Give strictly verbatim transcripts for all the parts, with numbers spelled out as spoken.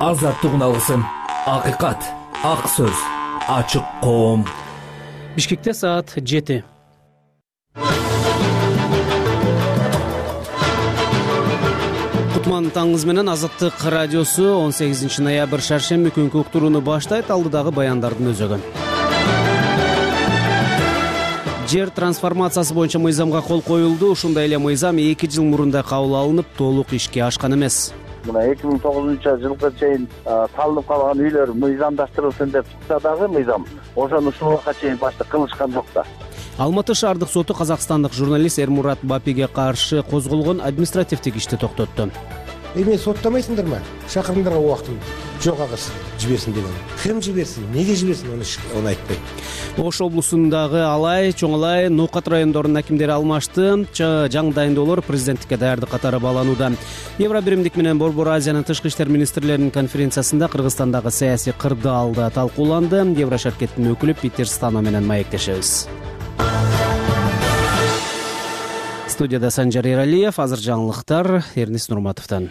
азаттыгын алгысың. Акыйкат, ак сөз, ачык коом. Бишкекте саат жети. Кутман таңыңыз менен Азаттык радиосу он сегизинчи ноябрь шаршемби күнкү уктурууну баштайт. Алдыдагы баяндардын өзөгүн. Жер трансформациясы боюнча мыйзамга кол коюлду. Ушундай эле мыйзам эки жыл мурунда кабыл алынып, толук ишке ашкан эмес. Мына эки миң тогузунчу жылга чейин салынып калган үйлөр мыйзамдаштырылсын деп чыкса дагы мыйзам ошону ушул убакка чейин башта кылышкан жок да. Алматы шаардык соту казакстандык журналист Эрмурат Бапиге каршы козголгон административдик ишти токтотту. Эми соттамайсыңдарбы? Шакырыңдарга убактын жок агыс жиберсин деген. Ким жиберсин? Неге жиберсин? Аны аны айтпайт. Ош облусундагы Алай, Чоң Алай, Нукат райондорунун акимдери алмашты. Жаңы дайындоолор президенттикке даярдык катары бааланууда. Евробиримдик менен Борбор Азиянын тышкы иштер министрлеринин конференциясында Кыргызстандагы саясий кырдаалда талкууланды. Еврошаркеттин өкүлү Питер Стано менен маектешебиз. Студияда Санжар Эралиев, азыр жаңылыктар Эрнис Нурматовдон.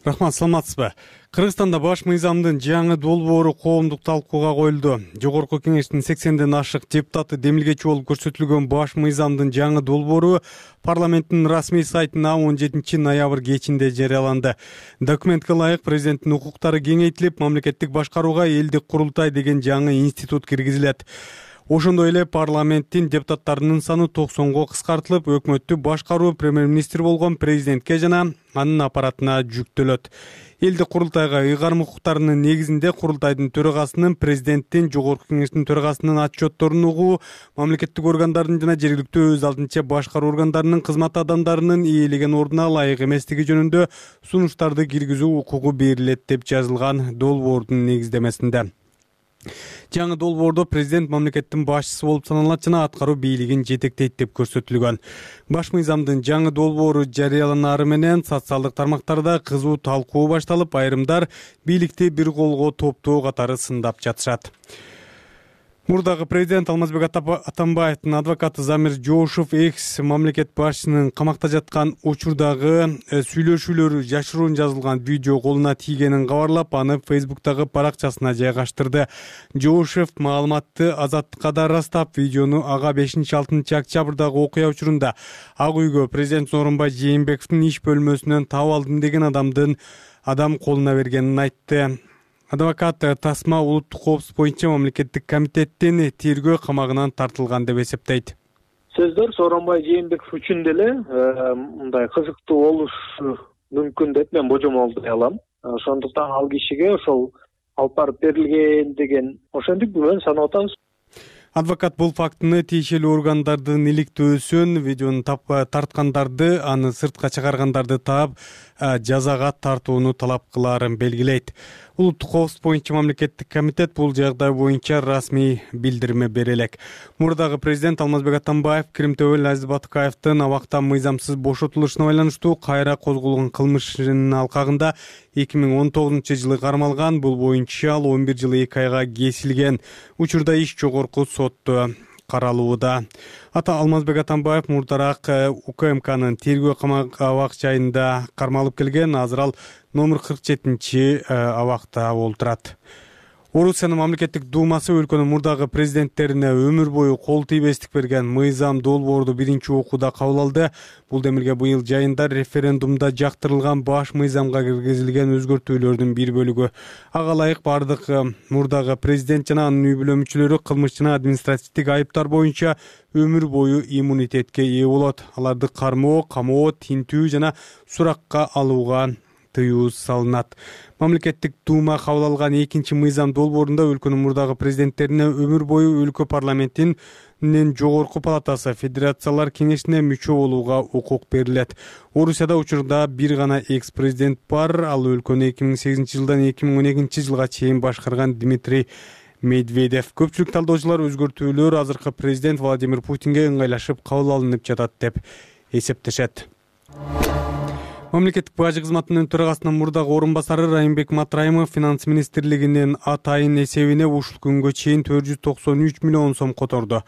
Рахмат, саламатсызбы? Кыргызстанда баш мыйзамдын жаңы долбоору коомдук талкууга коюлду. Жогорку кеңештин сексенден ашык депутаты демилгечи болуп көрсөтүлгөн баш мыйзамдын жаңы долбоору парламенттин расмий сайтына он жетинчи ноябрь кечинде жарыяланды. Документке ылайык президенттин укуктары кеңейтилип, мамлекеттик башкарууга элдик курултай деген жаңы институт киргизилет. Ошондой эле парламенттин депутаттарынын саны токсонго кыскартылып, өкмөттү башкаруу премьер-министр болгон президентке жана анын аппаратына жүктөлөт. Элдик курултайга ыйгарым укуктарынын негизинде курултайдын төрагасынын, президенттин, жогорку кеңештин төрагасынын отчетторун угуу, мамлекеттик органдардын жана жергиликтүү өз алдынча башкаруу органдарынын кызмат адамдарынын ээлеген ордуна ылайык эместиги жөнүндө сунуштарды киргизүү укугу берилет деп жазылган долбоордун негиздемесинде. Жаңы долбоордо президент мамлекеттин башчысы болуп саналат жана аткаруу бийлигин жетектейт деп көрсөтүлгөн. Баш мыйзамдын жаңы долбоору жарыяланары менен социалдык тармактарда кызуу талкуу башталып, айрымдар бийликти бир колго топтоо катары сындап жатышат. Мурдагы президент Алмазбек Атамбаевдин адвокаты Замир Жоошев экс мамлекет башчысынын камакта жаткан учурдагы сүйлөшүүлөрү жашыруун жазылган видео колуна тийгенин кабарлап, аны Фейсбуктагы баракчасына жайгаштырды. Жоошев маалыматты Азаттыкка да ырастап, видеону ага бешинчи алтынчы октябрдагы окуя учурунда Ак үйгө президент Сооронбай Жээнбековдун иш бөлмөсүнөн таап алдым деген адамдын адам колуна бергенин айтты. Адвокат тасма улуттук коопсуздук боюнча мамлекеттик комитеттин тергөө камагынан тартылган деп эсептейт. Сөздөр Сооронбай Жээнбеков үчүн деле мындай кызыктуу болушу мүмкүн деп мен божомолдой алам. Ошондуктан ал кишиге ошол алып барып берилген деген ошентип күмөн санап атабыз. Адвокат бул фактыны тиешелүү органдардын иликтөөсүн, видеону тарткандарды, аны сыртка чыгаргандарды таап, жазага тартууну талап кылаарын белгилейт. Улуттук коопсуздук боюнча мамлекеттик комитет бул жагдай боюнча расмий билдирме бере элек. Мурдагы президент Алмазбек Атамбаев Киримтөбөл Азиз Батыкаевдин абакта мыйзамсыз бошотулушуна байланыштуу кайра козголгон кылмышынын алкагында эки миң он тогузунчу жылы кармалган. Бул боюнча ал он бир жыл эки айга кесилген. Учурда иш жогорку сотто каралууда. Ата Алмазбек Атамбаев мурдараак УКМКнын тергөө абак жайында кармалып келген. Азыр ал номер кырк жетинчи абакта олтурат. Орусиянын мамлекеттик думасы өлкөнүн мурдагы президенттерине өмүр бою кол тийбестик берген мыйзам долбоорду биринчи окууда кабыл алды. Бул демилге быйыл жайында референдумда жактырылган баш мыйзамга киргизилген өзгөртүүлөрдүн бир бөлүгү. Ага ылайык бардык мурдагы президент жана анын үй бүлө мүчөлөрү кылмыш жана административдик айыптар боюнча өмүр бою иммунитетке ээ болот. Аларды кармоо, камоо, тинтүү жана суракка алууга тыюу салынат. Мамлекеттик дума кабыл алган экинчи мыйзам долбоорунда өлкөнүн мурдагы президенттерине өмүр бою өлкө парламентинин жогорку палатасы Федерациялар кеңешине мүчө болууга укук берилет. Орусияда учурда бир гана экс-президент бар. Ал өлкөнү эки миң сегизинчи жылдан эки миң он экинчи жылга чейин башкарган Дмитрий Медведев. Көпчүлүк талдоочулар өзгөртүүлөр азыркы президент Владимир Путинге ыңгайлашып кабыл алынып жатат деп эсептешет. Мамлекеттик бажы кызматынын төрагасынын мурдагы орун басары Райымбек Матраимов финанс министрлигинин атайын эсебине ушул күнгө чейин төрт жүз токсон үч миллион сом которду.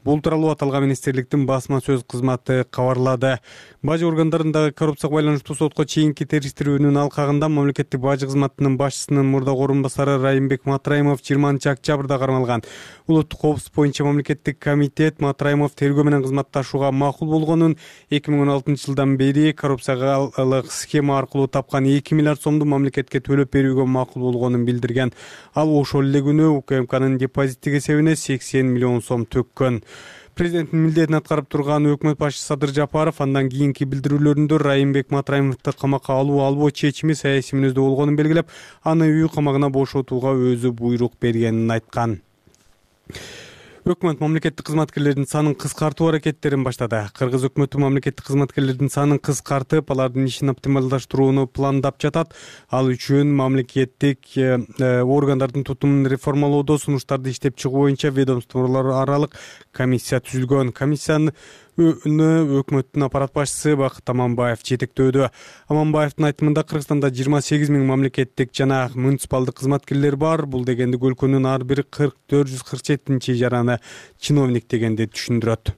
Бул тууралуу аталган министрликтин басма сөз кызматы кабарлады. Бажы органдарындагы коррупцияга байланыштуу сотко чейинки териштирүүнүн алкагында мамлекеттик бажы кызматынын башчысынын мурдагы орун басары Райымбек Матраимов жыйырманчы октябрда кармалган. Улуттук коопсуздук боюнча мамлекеттик комитет Матраимов тергөө менен кызматташууга макул болгонун, эки миң он алтынчы жылдан бери коррупцияга схема аркылуу тапкан эки миллиард сомду мамлекетке төлөп берүүгө макул болгонун билдирген. Ал ошол эле күнү УКМКнын депозиттик эсебине сексен миллион сом төккөн. Президенттин милдетин аткарып турган өкмөт башчысы Садыр Жапаров андан кийинки билдирүүлөрүндө Райымбек Матраимовду камакка алуу албоо чечими саясий мүнөздө болгонун белгилеп, аны үй камагына бошотууга өзү буйрук бергенин айткан. Өкмөт мамлекеттик кызматкерлердин санын кыскартуу аракеттерин баштады. Кыргыз өкмөтү мамлекеттик кызматкерлердин санын кыскартып, алардын ишин оптималдаштырууну пландап жатат. Ал үчүн мамлекеттик органдардын тутумун реформалоодо сунуштарды иштеп чыгуу боюнча ведомстволор аралык комиссия түзүлгөн. Комиссияны өкмөттүн аппарат башчысы Бакыт Аманбаев жетектөөдө. Аманбаевдин айтымында Кыргызстанда жыйырма сегиз миң мамлекеттик жана муниципалдык кызматкерлер бар. Бул дегенди өлкөнүн ар бир төрт жүз кырк жетинчи жараны чиновник дегенди түшүндүрөт.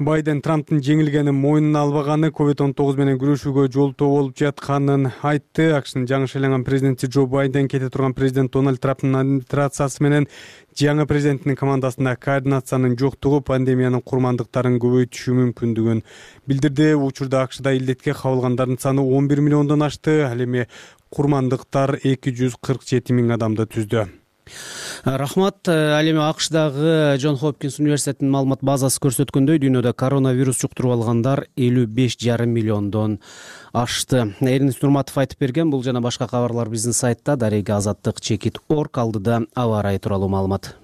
Байден Трамптын жеңилгени мойнуна албаганы ковид он тогуз менен күрөшүүгө жолтоо болуп жатканын айтты. АКШнын жаңы шайланган президенти Джо Байден кете турган президент Дональд Трамптын администрациясы менен жаңы президенттин командасында координациянын жоктугу пандемиянын курмандыктарын көбөйтүшү мүмкүндүгүн билдирди. Учурда АКШда илдетке кабылгандардын саны он бир миллиондон ашты. Ал эми курмандыктар эки жүз кырк жети миң адамды түздү. Рахмат. Ал эми АКШдагы Джон Хопкинс университетинин маалымат базасы көрсөткөндөй, дүйнөдө коронавирус жуктуруп алгандар элүү беш жарым миллиондон ашты. Эринис Нурматов айтып берген. Бул жана башка кабарлар биздин сайтта дареги азаттык чекит точка орг. Алдыда аба ырайы тууралуу маалымат.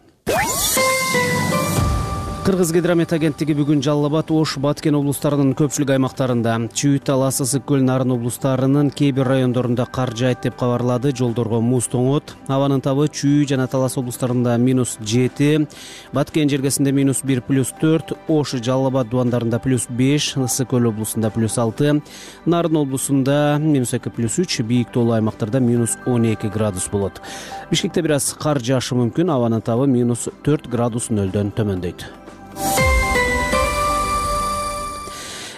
Кыргыз гидромет агенттиги бүгүн Жалал Абад, Ош, Баткен облустарынын көпчүлүк аймактарында, Чүй, Талас, Ысык көл, Нарын облустарынын кээ бир райондорунда кар жаайт деп кабарлады. Жолдорго муз тоңот. Абанын табы Чүй жана Талас облустарында минус жети, Баткен жергесинде минус бир плюс төрт, Ош, Жалал Абад дубандарында плюс беш, Ысык көл облусунда плюс алты, Нарын облусунда минус эки плюс үч, бийик тоолуу аймактарда минус он эки градус болот. Бишкекте бир аз кар жаашы мүмкүн. Абанын табы минус төрт градус нөлдөн төмөндөйт.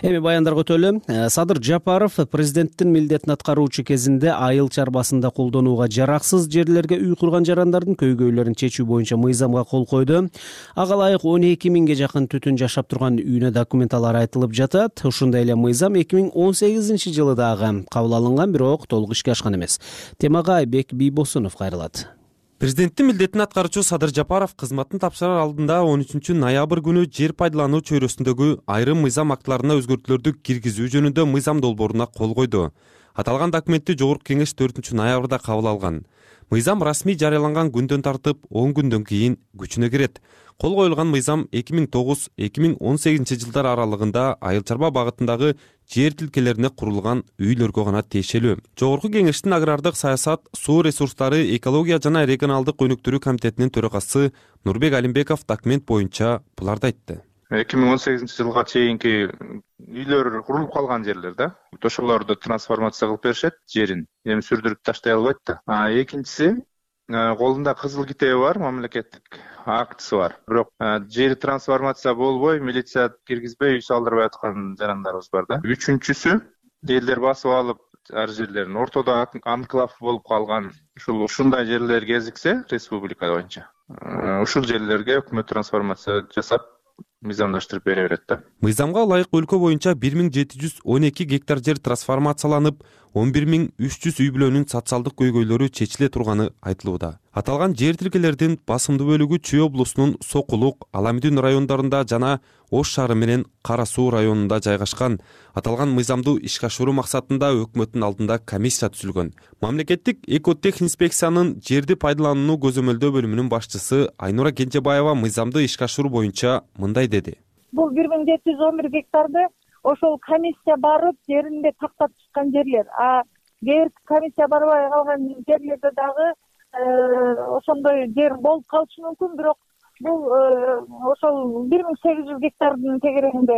Эми баяндарга өтөлү. Садыр Жапаров президенттин милдетин аткаруучу кезинде айыл чарбасында колдонууга жараксыз жерлерге үй курган жарандардын көйгөйлөрүн чечүү боюнча мыйзамга кол койду. Ага ылайык он эки миңге жакын түтүн жашап турган үйүнө документалар айтылып жатат. Ушундай эле мыйзам эки миң он сегизинчи жылы дагы кабыл алынган, бирок толук ишке ашкан эмес. Темага Айбек Бийбосунов кайрылат. Президенттин милдетин аткаруучу Садыр Жапаров кызматын тапшырар алдында он үчүнчү ноябрь күнү жер пайдалануу чөйрөсүндөгү айрым мыйзам актыларына өзгөртүүлөрдү киргизүү жөнүндө мыйзам долбооруна кол койду. Аталган документти Жогорку Кеңеш төртүнчү ноябрда кабыл алган. Мыйзам расмий жарыяланган күндөн тартып он күндөн кийин күчүнө кирет. Кол коюлган мыйзам эки миң тогуз эки миң он сегизинчи жылдар аралыгында айыл чарба багытындагы жер тилкелерине курулган үйлөргө гана тиешелүү. Жогорку Кеңештин агрардык саясат, суу ресурстары, экология жана регионалдык өнүктүрүү комитетинин төрагасы Нурбек Алимбеков документ боюнча буларды айтты. эки миң он сегизинчи жылга чейинки үйлөр курулуп калган жерлер да, ошолорду трансформация кылып беришет жерин. Эми сүрдүрүп таштай албайт да. А экинчиси, колунда кызыл китеби бар, мамлекеттик актысы бар. Бирок жери трансформация болбой, милиция киргизбей үй салдырбай аткан жарандарыбыз бар да. Үчүнчүсү, элдер басып алып ар жерлерин ортодо анклав болуп калган ушул ушундай жерлер кезиксе республика боюнча, ушул жерлерге өкмөт трансформация жасап мыйзамдаштырып бере берет да. Мыйзамга ылайык өлкө боюнча бир миң жети жүз он эки гектар жер трансформацияланып, он бир миң үч жүз үй бүлөнүн социалдык көйгөйлөрү чечиле турганы айтылууда. Аталган жер тилкелердин басымдуу бөлүгү Чүй облусунун Сокулук, Аламүдүн райондорунда жана Ош шаары менен Кара Суу районунда жайгашкан. Аталган мыйзамды ишке ашыруу максатында өкмөттүн алдында комиссия түзүлгөн. Мамлекеттик экотехинспекциянын жерди пайдаланууну көзөмөлдөө бөлүмүнүн башчысы Айнура Кенжебаева мыйзамды ишке ашыруу боюнча мындай деди. Бул бир миң жети жүз он бир гектарды ошол комиссия барып жеринде тактап чыккан жерлер. А кээ бир комиссия барбай калган жерлерде дагы ошондой жер болуп калышы мүмкүн, бирок бул ошол бир миң сегиз жүз гектардын тегерегинде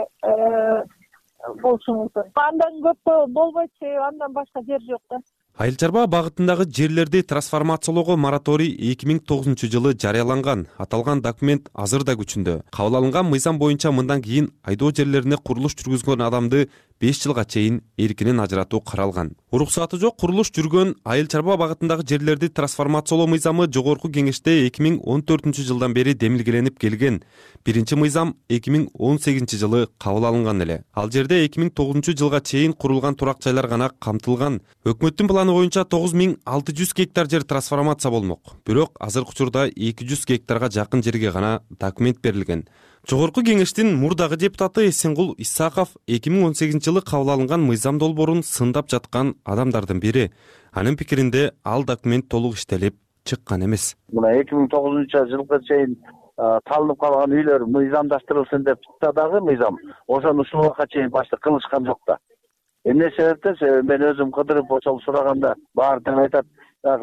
болушу мүмкүн. Андан көп болбойт, себеби андан башка жер жок да. Айыл чарба багытындагы жерлерди трансформациялоого мораторий эки миң тогузунчу жылы жарыяланган. Аталган документ азыр да күчүндө. Кабыл алынган мыйзам боюнча мындан кийин айдоо жерлерине курулуш жүргүзгөн адамды беш жылга чейин эркинен ажыратуу каралган. Уруксаты жок курулуш жүргөн айыл чарба багытындагы жерлерди трансформациялоо мыйзамы жогорку кеңеште эки миң он төртүнчү жылдан бери демилгеленип келген. Биринчи мыйзам эки миң он сегизинчи жылы кабыл алынган эле. Ал жерде эки миң тогузунчу жылга чейин курулган турак жайлар гана камтылган. Өкмөттүн планы боюнча тогуз миң алты жүз гектар жер трансформация болмок. Бирок азыркы учурда эки жүз гектарга жакын жерге гана документ берилген. Жогорку кеңештин мурдагы депутаты Эсенгул Исаков эки миң он сегизинчи жылы кабыл алынган мыйзам долбоорун сындап жаткан адамдардын бири. Анын пикиринде ал документ толук иштелип чыккан эмес. Мына эки миң тогузунчу жылга чейин талынып калган үйлөр мыйзамдаштырылсын деп чыкса дагы мыйзам ошону ушул убакка чейин башта кылышкан жок да. Эмне себептен? Себеби мен өзүм кыдырып ошол сураганда баары тең айтат,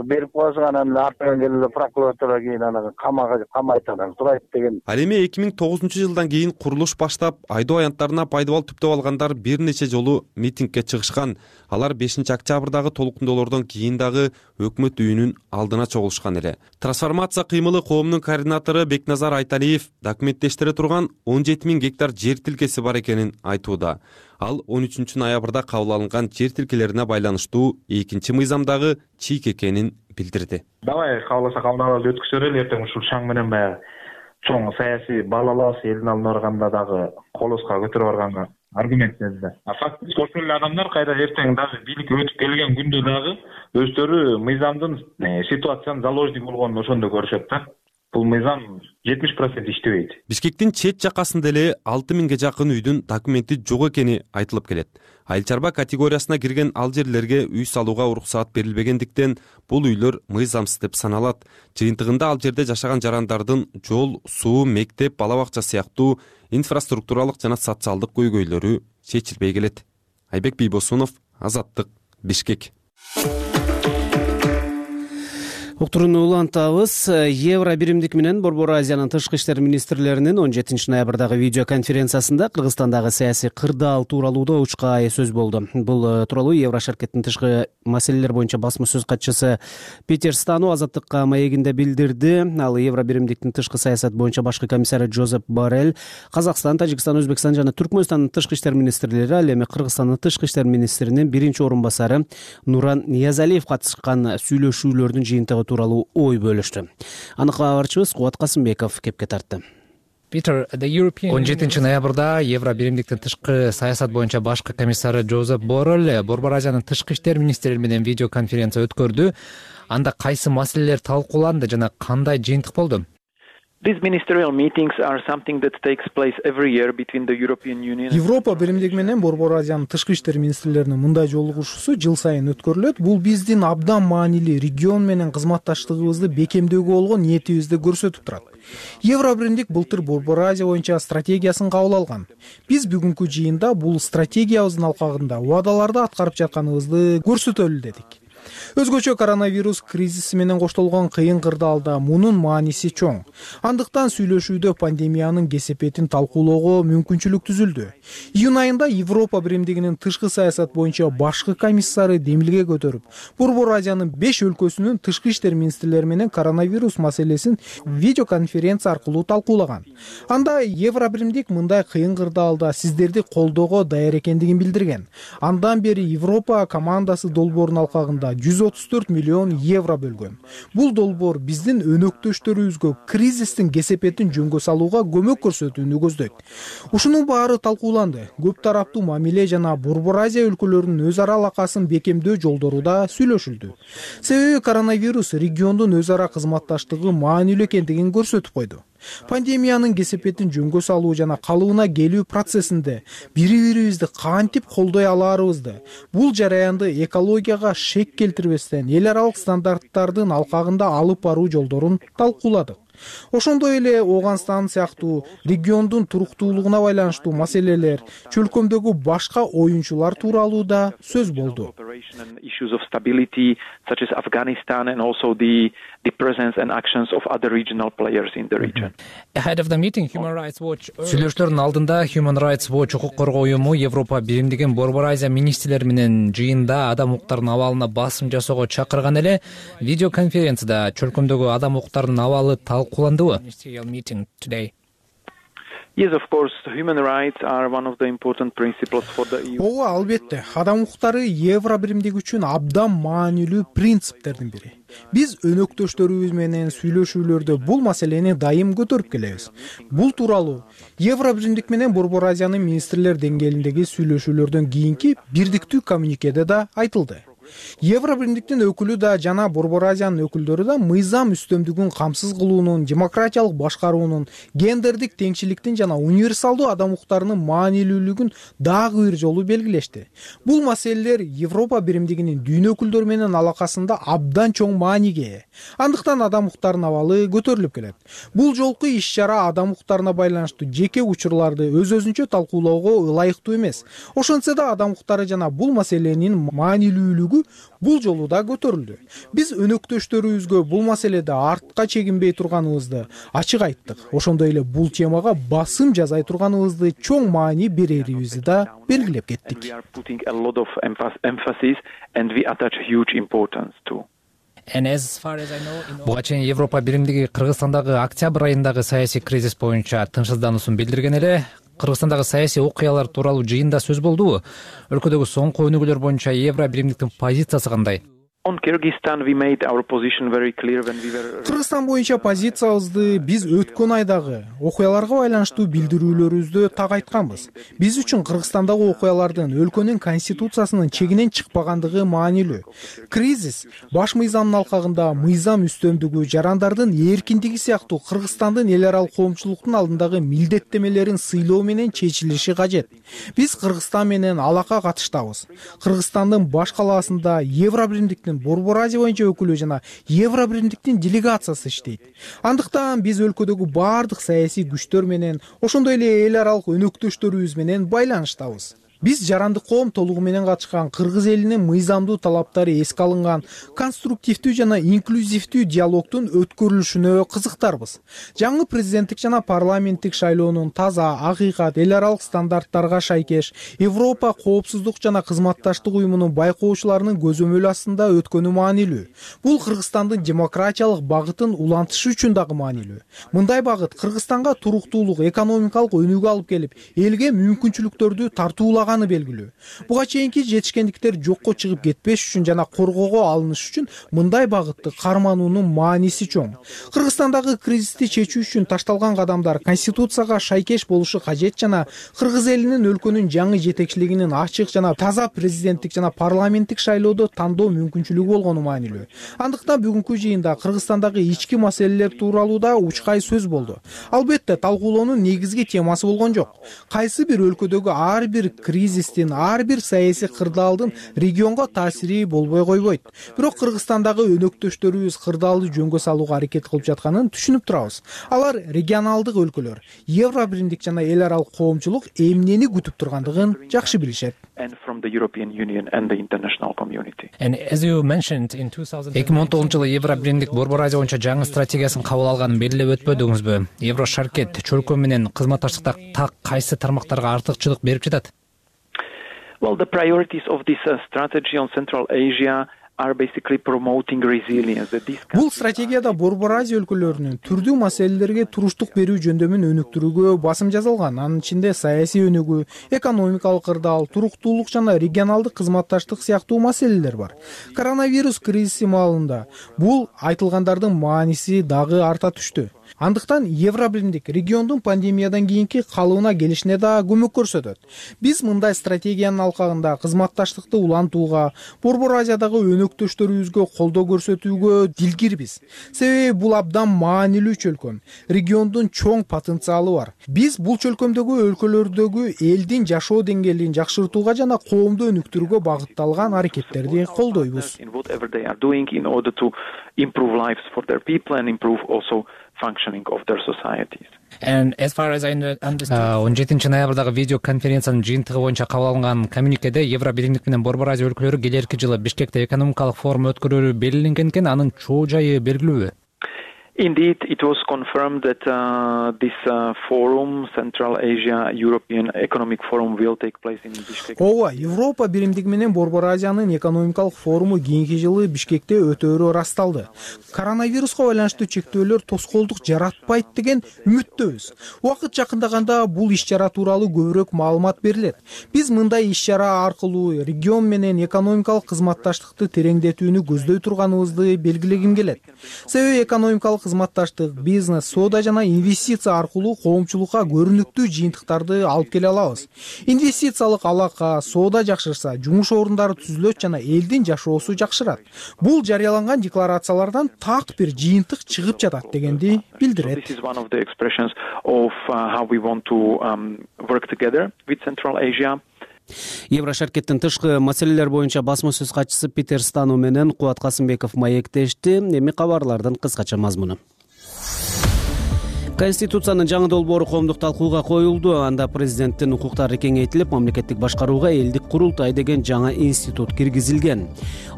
берип коесуң, анан артынан келип прокуратура кийин анан камага камайт, анан сурайт деген. Ал эми эки миң тогузунчу жылдан кийин курулуш баштап, айдоо аянттарына пайдабал түптөп алгандар бир нече жолу митингге чыгышкан. Алар бешинчи октябрдагы толкундоолордон кийин дагы өкмөт үйүнүн алдына чогулушкан эле. Трансформация кыймылы коомунун координатору Бекназар Айталиев документтештире турган он жети миң гектар жер тилкеси бар экенин айтууда. Ал он үчүнчү ноябрда кабыл алынган жер тилкелерине байланыштуу экинчи мыйзамдагы чийик экенин билдирди. Давай кааласа кабыл алып өткүзө берели, эртең ушул шаң менен баягы чоң саясий балалаас элдин алдына барганда дагы колоско көтөрүп барганга аргумент берди. А фактически ошол эле адамдар кайра эртең дагы бийликке өтүп келген күндө дагы өздөрү мыйзамдын ситуациянын заложник болгонун ошондо көрүшөт да. Бул мыйзам жетимиш процент иштебейт. Бишкектин чет жакасында эле алты миңге жакын үйдүн документи жок экени айтылып келет. Айыл чарба категориясына кирген ал жерлерге үй салууга уруксаат берилбегендиктен бул үйлөр мыйзамсыз деп саналат. Жыйынтыгында ал жерде жашаган жарандардын жол, суу, мектеп, бала бакча сыяктуу инфраструктуралык жана социалдык көйгөйлөрү чечилбей келет. Айбек Бийбосунов, Азаттык, Бишкек. Уктурууну улантабыз. Евро биримдик менен Борбор Азиянын тышкы иштер министрлеринин он жетинчи ноябрдагы видео конференциясында Кыргызстандагы саясий кырдаал тууралуу да учка сөз болду. Бул тууралуу Евро шаркеттин тышкы маселелер боюнча басма сөз катчысы Питер Стану Азаттыкка маегинде билдирди. Ал Евро биримдиктин тышкы саясат боюнча башкы комиссары Жозеп Боррель, Казакстан, Тажикстан, Өзбекстан жана Түркмөнстандын тышкы иштер министрлери, ал эми Кыргызстандын тышкы иштер министринин биринчи орун басары Нуран Ниязалиев катышкан сүйлөшүүлөрдүн жыйынтыгы тууралуу ой бөлүштү. Аны кабарчыбыз Кубат Касымбеков кепке тартты. он жетинчи ноябрда Евро биримдиктин тышкы саясат боюнча башкы комиссары Жозеп Боррель Борбор Азиянын тышкы иштер министрлери менен видео конференция өткөрдү. Анда кайсы маселелер талкууланды жана кандай жыйынтык болду? Европа биримдиги менен Борбор Азиянын тышкы иштер министрлеринин мындай жолугушуусу жыл сайын өткөрүлөт. Бул биздин абдан маанилүү регион менен кызматташтыгыбызды бекемдөөгө болгон ниетибизди көрсөтүп турат. Евро биримдик былтыр Борбор Азия боюнча стратегиясын кабыл алган. Биз бүгүнкү жыйында бул стратегиябыздын алкагында убадаларды аткарып жатканыбызды көрсөтөлү дедик. Өзгөчө коронавирус кризиси менен коштолгон кыйын кырдаалда мунун мааниси чоң. Андыктан сүйлөшүүдө пандемиянын кесепетин талкуулоого мүмкүнчүлүк түзүлдү. Июнь айында Европа биримдигинин тышкы саясат боюнча башкы комиссары демилге көтөрүп, Борбор Азиянын беш өлкөсүнүн тышкы иштер министрлери менен коронавирус маселесин видеоконференция аркылуу талкуулаган. Анда Евро биримдик мындай кыйын кырдаалда сиздерди колдоого даяр экендигин билдирген. Андан бери Европа командасы долбоорунун алкагында жүз отуз төрт миллион евро бөлгөн. Бул долбоор биздин өнөктөштөрүбүзгө кризистин кесепетин жөнгө салууга көмөк көрсөтүүнү көздөйт. Ушунун баары талкууланды. Көп тараптуу мамиле жана Борбор Азия өлкөлөрүнүн өз ара алакасын бекемдөө жолдору да сүйлөшүлдү. Себеби коронавирус региондун өз ара кызматташтыгы маанилүү экендигин көрсөтүп койду. Пандемиянын кесепетин жөнгө салуу жана калыбына келүү процессинде бири-бирибизди кантип колдой алаарыбызды, бул жараянды экологияга шек келтирбестен эл аралык стандарттардын алкагында алып баруу жолдорун талкууладык. Ошондой эле Ооганстан сыяктуу региондун туруктуулугуна байланыштуу маселелер, чөлкөмдөгү башка оюнчулар тууралуу да сөз болду. Сүйлөшүүлөрдүн алдында Human Rights Watch укук коргоо уюму Европа биримдигин Борбор Азия министрлери менен жыйында адам укуктарынын абалына басым жасоого чакырган эле видеоконференцияда чөлкөмдөгү адам укуктарынын абалы талкууландыбы? Yes, of course, human rights are one of the important principles for the E U. Ооба, албетте, адам укуктары Евро биримдиги үчүн абдан маанилүү принциптердин бири. Биз өнөктөштөрүбүз менен сүйлөшүүлөрдө бул маселени дайым көтөрүп келебиз. Бул тууралуу Евро биримдик менен Борбор Азиянын министрлер деңгээлиндеги сүйлөшүүлөрдөн кийинки бирдиктүү коммюникеде да айтылды. Евро биримдиктин өкүлү да жана Борбор Азиянын өкүлдөрү да мыйзам үстөмдүгүн камсыз кылуунун, демократиялык башкаруунун, гендердик теңчиликтин жана универсалдуу адам укуктарынын маанилүүлүгүн дагы бир жолу белгилешти. Бул маселелер Европа биримдигинин дүйнө өкүлдөрү менен алакасында абдан чоң мааниге ээ. Андыктан адам укуктарынын абалы көтөрүлүп келет. Бул жолку иш-чара адам укуктарына байланыштуу жеке учурларды өз-өзүнчө талкуулоого ылайыктуу эмес. Ошентсе да адам укуктары жана бул маселенин маанилүүлүгү бул жолу да көтөрүлдү. Биз өнөктөштөрүбүзгө бул маселеде артка чегинбей турганыбызды ачык айттык. Ошондой эле бул темага басым жасай турганыбызды чоң маани берерибизди да белгилеп кеттик. Буга чейин Европа биримдиги Кыргызстандагы октябрь айындагы саясий кризис боюнча тынчсыздануусун билдирген эле. Кыргызстандагы саясий окуялар тууралуу жыйында сөз болдубу? Өлкөдөгү соңку өнүгүүлөр боюнча Евро биримдиктин позициясы кандай? Кыргызстан боюнча позициябызды биз өткөн айдагы окуяларга байланыштуу билдирүүлөрүбүздө так айтканбыз. Биз үчүн Кыргызстандагы окуялардын өлкөнүн конституциясынын чегинен чыкпагандыгы маанилүү. Кризис баш мыйзамдын алкагында мыйзам үстөмдүгү, жарандардын эркиндиги сыяктуу Кыргызстандын эл аралык коомчулуктун алдындагы милдеттемелерин сыйлоо менен чечилиши кажет. Биз Кыргызстан менен алака катыштабыз. Кыргызстандын баш калаасында Евро биримдиктин Борбор Азия боюнча өкүлү жана Евро биримдиктин делегациясы иштейт. Андыктан биз өлкөдөгү баардык саясий күчтөр менен, ошондой эле эл аралык өнөктөштөрүбүз менен байланыштабыз. Биз жарандык коом толугу менен катышкан кыргыз элинин мыйзамдуу талаптары эске алынган конструктивдүү жана инклюзивдүү диалогдун өткөрүлүшүнө кызыктарбыз. Жаңы президенттик жана парламенттик шайлоонун таза, акыйкат, эл аралык стандарттарга шайкеш Европа коопсуздук жана кызматташтык уюмунун байкоочуларынын көзөмөлү астында өткөнү маанилүү. Бул Кыргызстандын демократиялык багытын улантышы үчүн дагы маанилүү. Мындай багыт Кыргызстанга туруктуулук, экономикалык өнүгүү алып келип, элге мүмкүнчүлүктөрдү тартуулаган белгилүү. Буга чейинки жетишкендиктер жокко чыгып кетпеш үчүн жана коргоого алыныш үчүн мындай багытты кармануунун мааниси чоң. Кыргызстандагы кризисти чечүү үчүн ташталган кадамдар конституцияга шайкеш болушу кажет жана кыргыз элинин өлкөнүн жаңы жетекчилигинин ачык жана таза президенттик жана парламенттик шайлоодо тандоо мүмкүнчүлүгү болгону маанилүү. Андыктан бүгүнкү жыйында Кыргызстандагы ички маселелер тууралуу да учкай сөз болду. Албетте, талкуулоонун негизги темасы болгон жок. Кайсы бир өлкөдөгү ар бир кризистин, ар бир саясий кырдаалдын регионго таасири болбой койбойт. Бирок Кыргызстандагы өнөктөштөрүбүз кырдаалды жөнгө салууга аракет кылып жатканын түшүнүп турабыз. Алар регионалдык өлкөлөр, Евро биримдик жана эл аралык коомчулук эмнени күтүп тургандыгын жакшы билишет. эки миң он тогузунчу жылы Евро биримдик Борбор Азия боюнча жаңы стратегиясын кабыл алганын белгилеп өтпөдүңүзбү? Евро шаркет чөлкөө менен кызматташтыкта так кайсы тармактарга артыкчылык берип жатат? Well, the priorities of this uh, strategy on Central Asia are basically promoting resilience. Бул стратегияда Борбор Азия өлкөлөрүнүн түрдүү маселелерге туруштук берүү жөндөмүн өнүктүрүүгө басым жасалган. Анын ичинде саясий өнүгүү, экономикалык кырдаал, туруктуулук жана регионалдык кызматташтык сыяктуу маселелер бар. Коронавирус кризиси маалында бул айтылгандардын мааниси дагы арта түштү. Андыктан Евро биримдик региондун пандемиядан кийинки калыбына келишине да көмөк көрсөтөт. Биз мындай стратегиянын алкагында кызматташтыкты улантууга, Борбор Азиядагы өнөктөштөрүбүзгө колдоо көрсөтүүгө дилгирбиз. Себеби бул абдан маанилүү чөлкөм. Региондун чоң потенциалы бар. Биз бул чөлкөмдөгү өлкөлөрдөгү элдин жашоо деңгээлин жакшыртууга жана коомду өнүктүрүүгө багытталган аракеттерди колдойбуз. functioning of their societies. он жетинчи ноябрдагы видео конференциянын жыйынтыгы боюнча кабыл алынган коммюникеде Евро биримдик менен Борбор Азия өлкөлөрү келерки жылы Бишкекте экономикалык форум өткөрүүрү белгиленген экен. Анын чоо жайы белгилүүбү? Indeed, it was confirmed that uh, this uh, forum, Central Asia European Economic Forum, will take place in Bishkek. Ооба, Европа биримдиги менен Борбор Азиянын экономикалык форуму кийинки жылы Бишкекте өтөөрү ырасталды. Коронавируска байланыштуу чектөөлөр тоскоолдук жаратпайт деген үмүттөбүз. Убакыт жакындаганда бул иш-чара тууралуу көбүрөөк маалымат берилет. Биз мындай иш-чара аркылуу регион менен экономикалык кызматташтыкты тереңдетүүнү көздөй турганыбызды белгилегим келет. Себеби экономикалык кызматташтык, бизнес, соода жана инвестиция аркылуу коомчулукка көрүнүктүү жыйынтыктарды алып келе алабыз. Инвестициялык алака, соода жакшырса, жумуш орундары түзүлөт жана элдин жашоосу жакшырат. Бул жарыяланган декларациялардан так бир жыйынтык чыгып жатат дегенди билдирет. This is one of the expressions of uh, how we want to um, work together with Central Asia. Евро шаркеттин тышкы маселелер боюнча басма сөз катчысы Питер Стану менен Кубат Касымбеков маектешти. Эми кабарлардын кыскача мазмуну. Конституциянын жаңы долбоору коомдук талкууга коюлду. Анда президенттин укуктары кеңейтилип, мамлекеттик башкарууга элдик курултай деген жаңа институт киргизилген.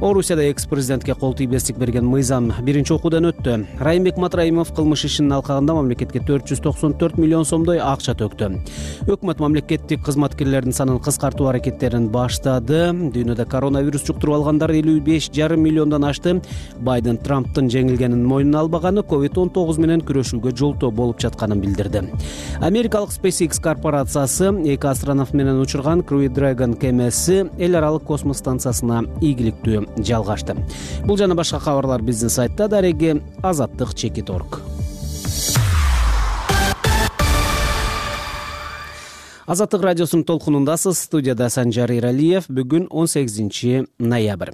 Орусияда экс-президентке кол тийбестик берген мыйзам биринчи окуудан өттү. Райымбек Матраимов кылмыш ишинин алкагында мамлекетке төрт жүз токсон төрт миллион сомдой акча төктү. Өкмөт мамлекеттик кызматкерлердин санын кыскартуу аракеттерин баштады. Дүйнөдө коронавирус жуктуруп алгандар элүү беш жарым миллиондон ашты. Байден Трамптын жеңилгенин мойнуна албаганы ковид он тогуз менен күрөшүүгө жолтоо болуп жатканын билдирди. Америкалык SpaceX корпорациясы эки астронавт менен учурган Crew Dragon кемеси эл аралык космос станциясына ийгиликтүү жалгашты. Бул жана башка кабарлар биздин сайтта. Дареги азаттык чекит точка орг. Азаттык радиосунун толкунундасыз. Студияда Санжар Иралиев. Бүгүн он сегизинчи ноябрь.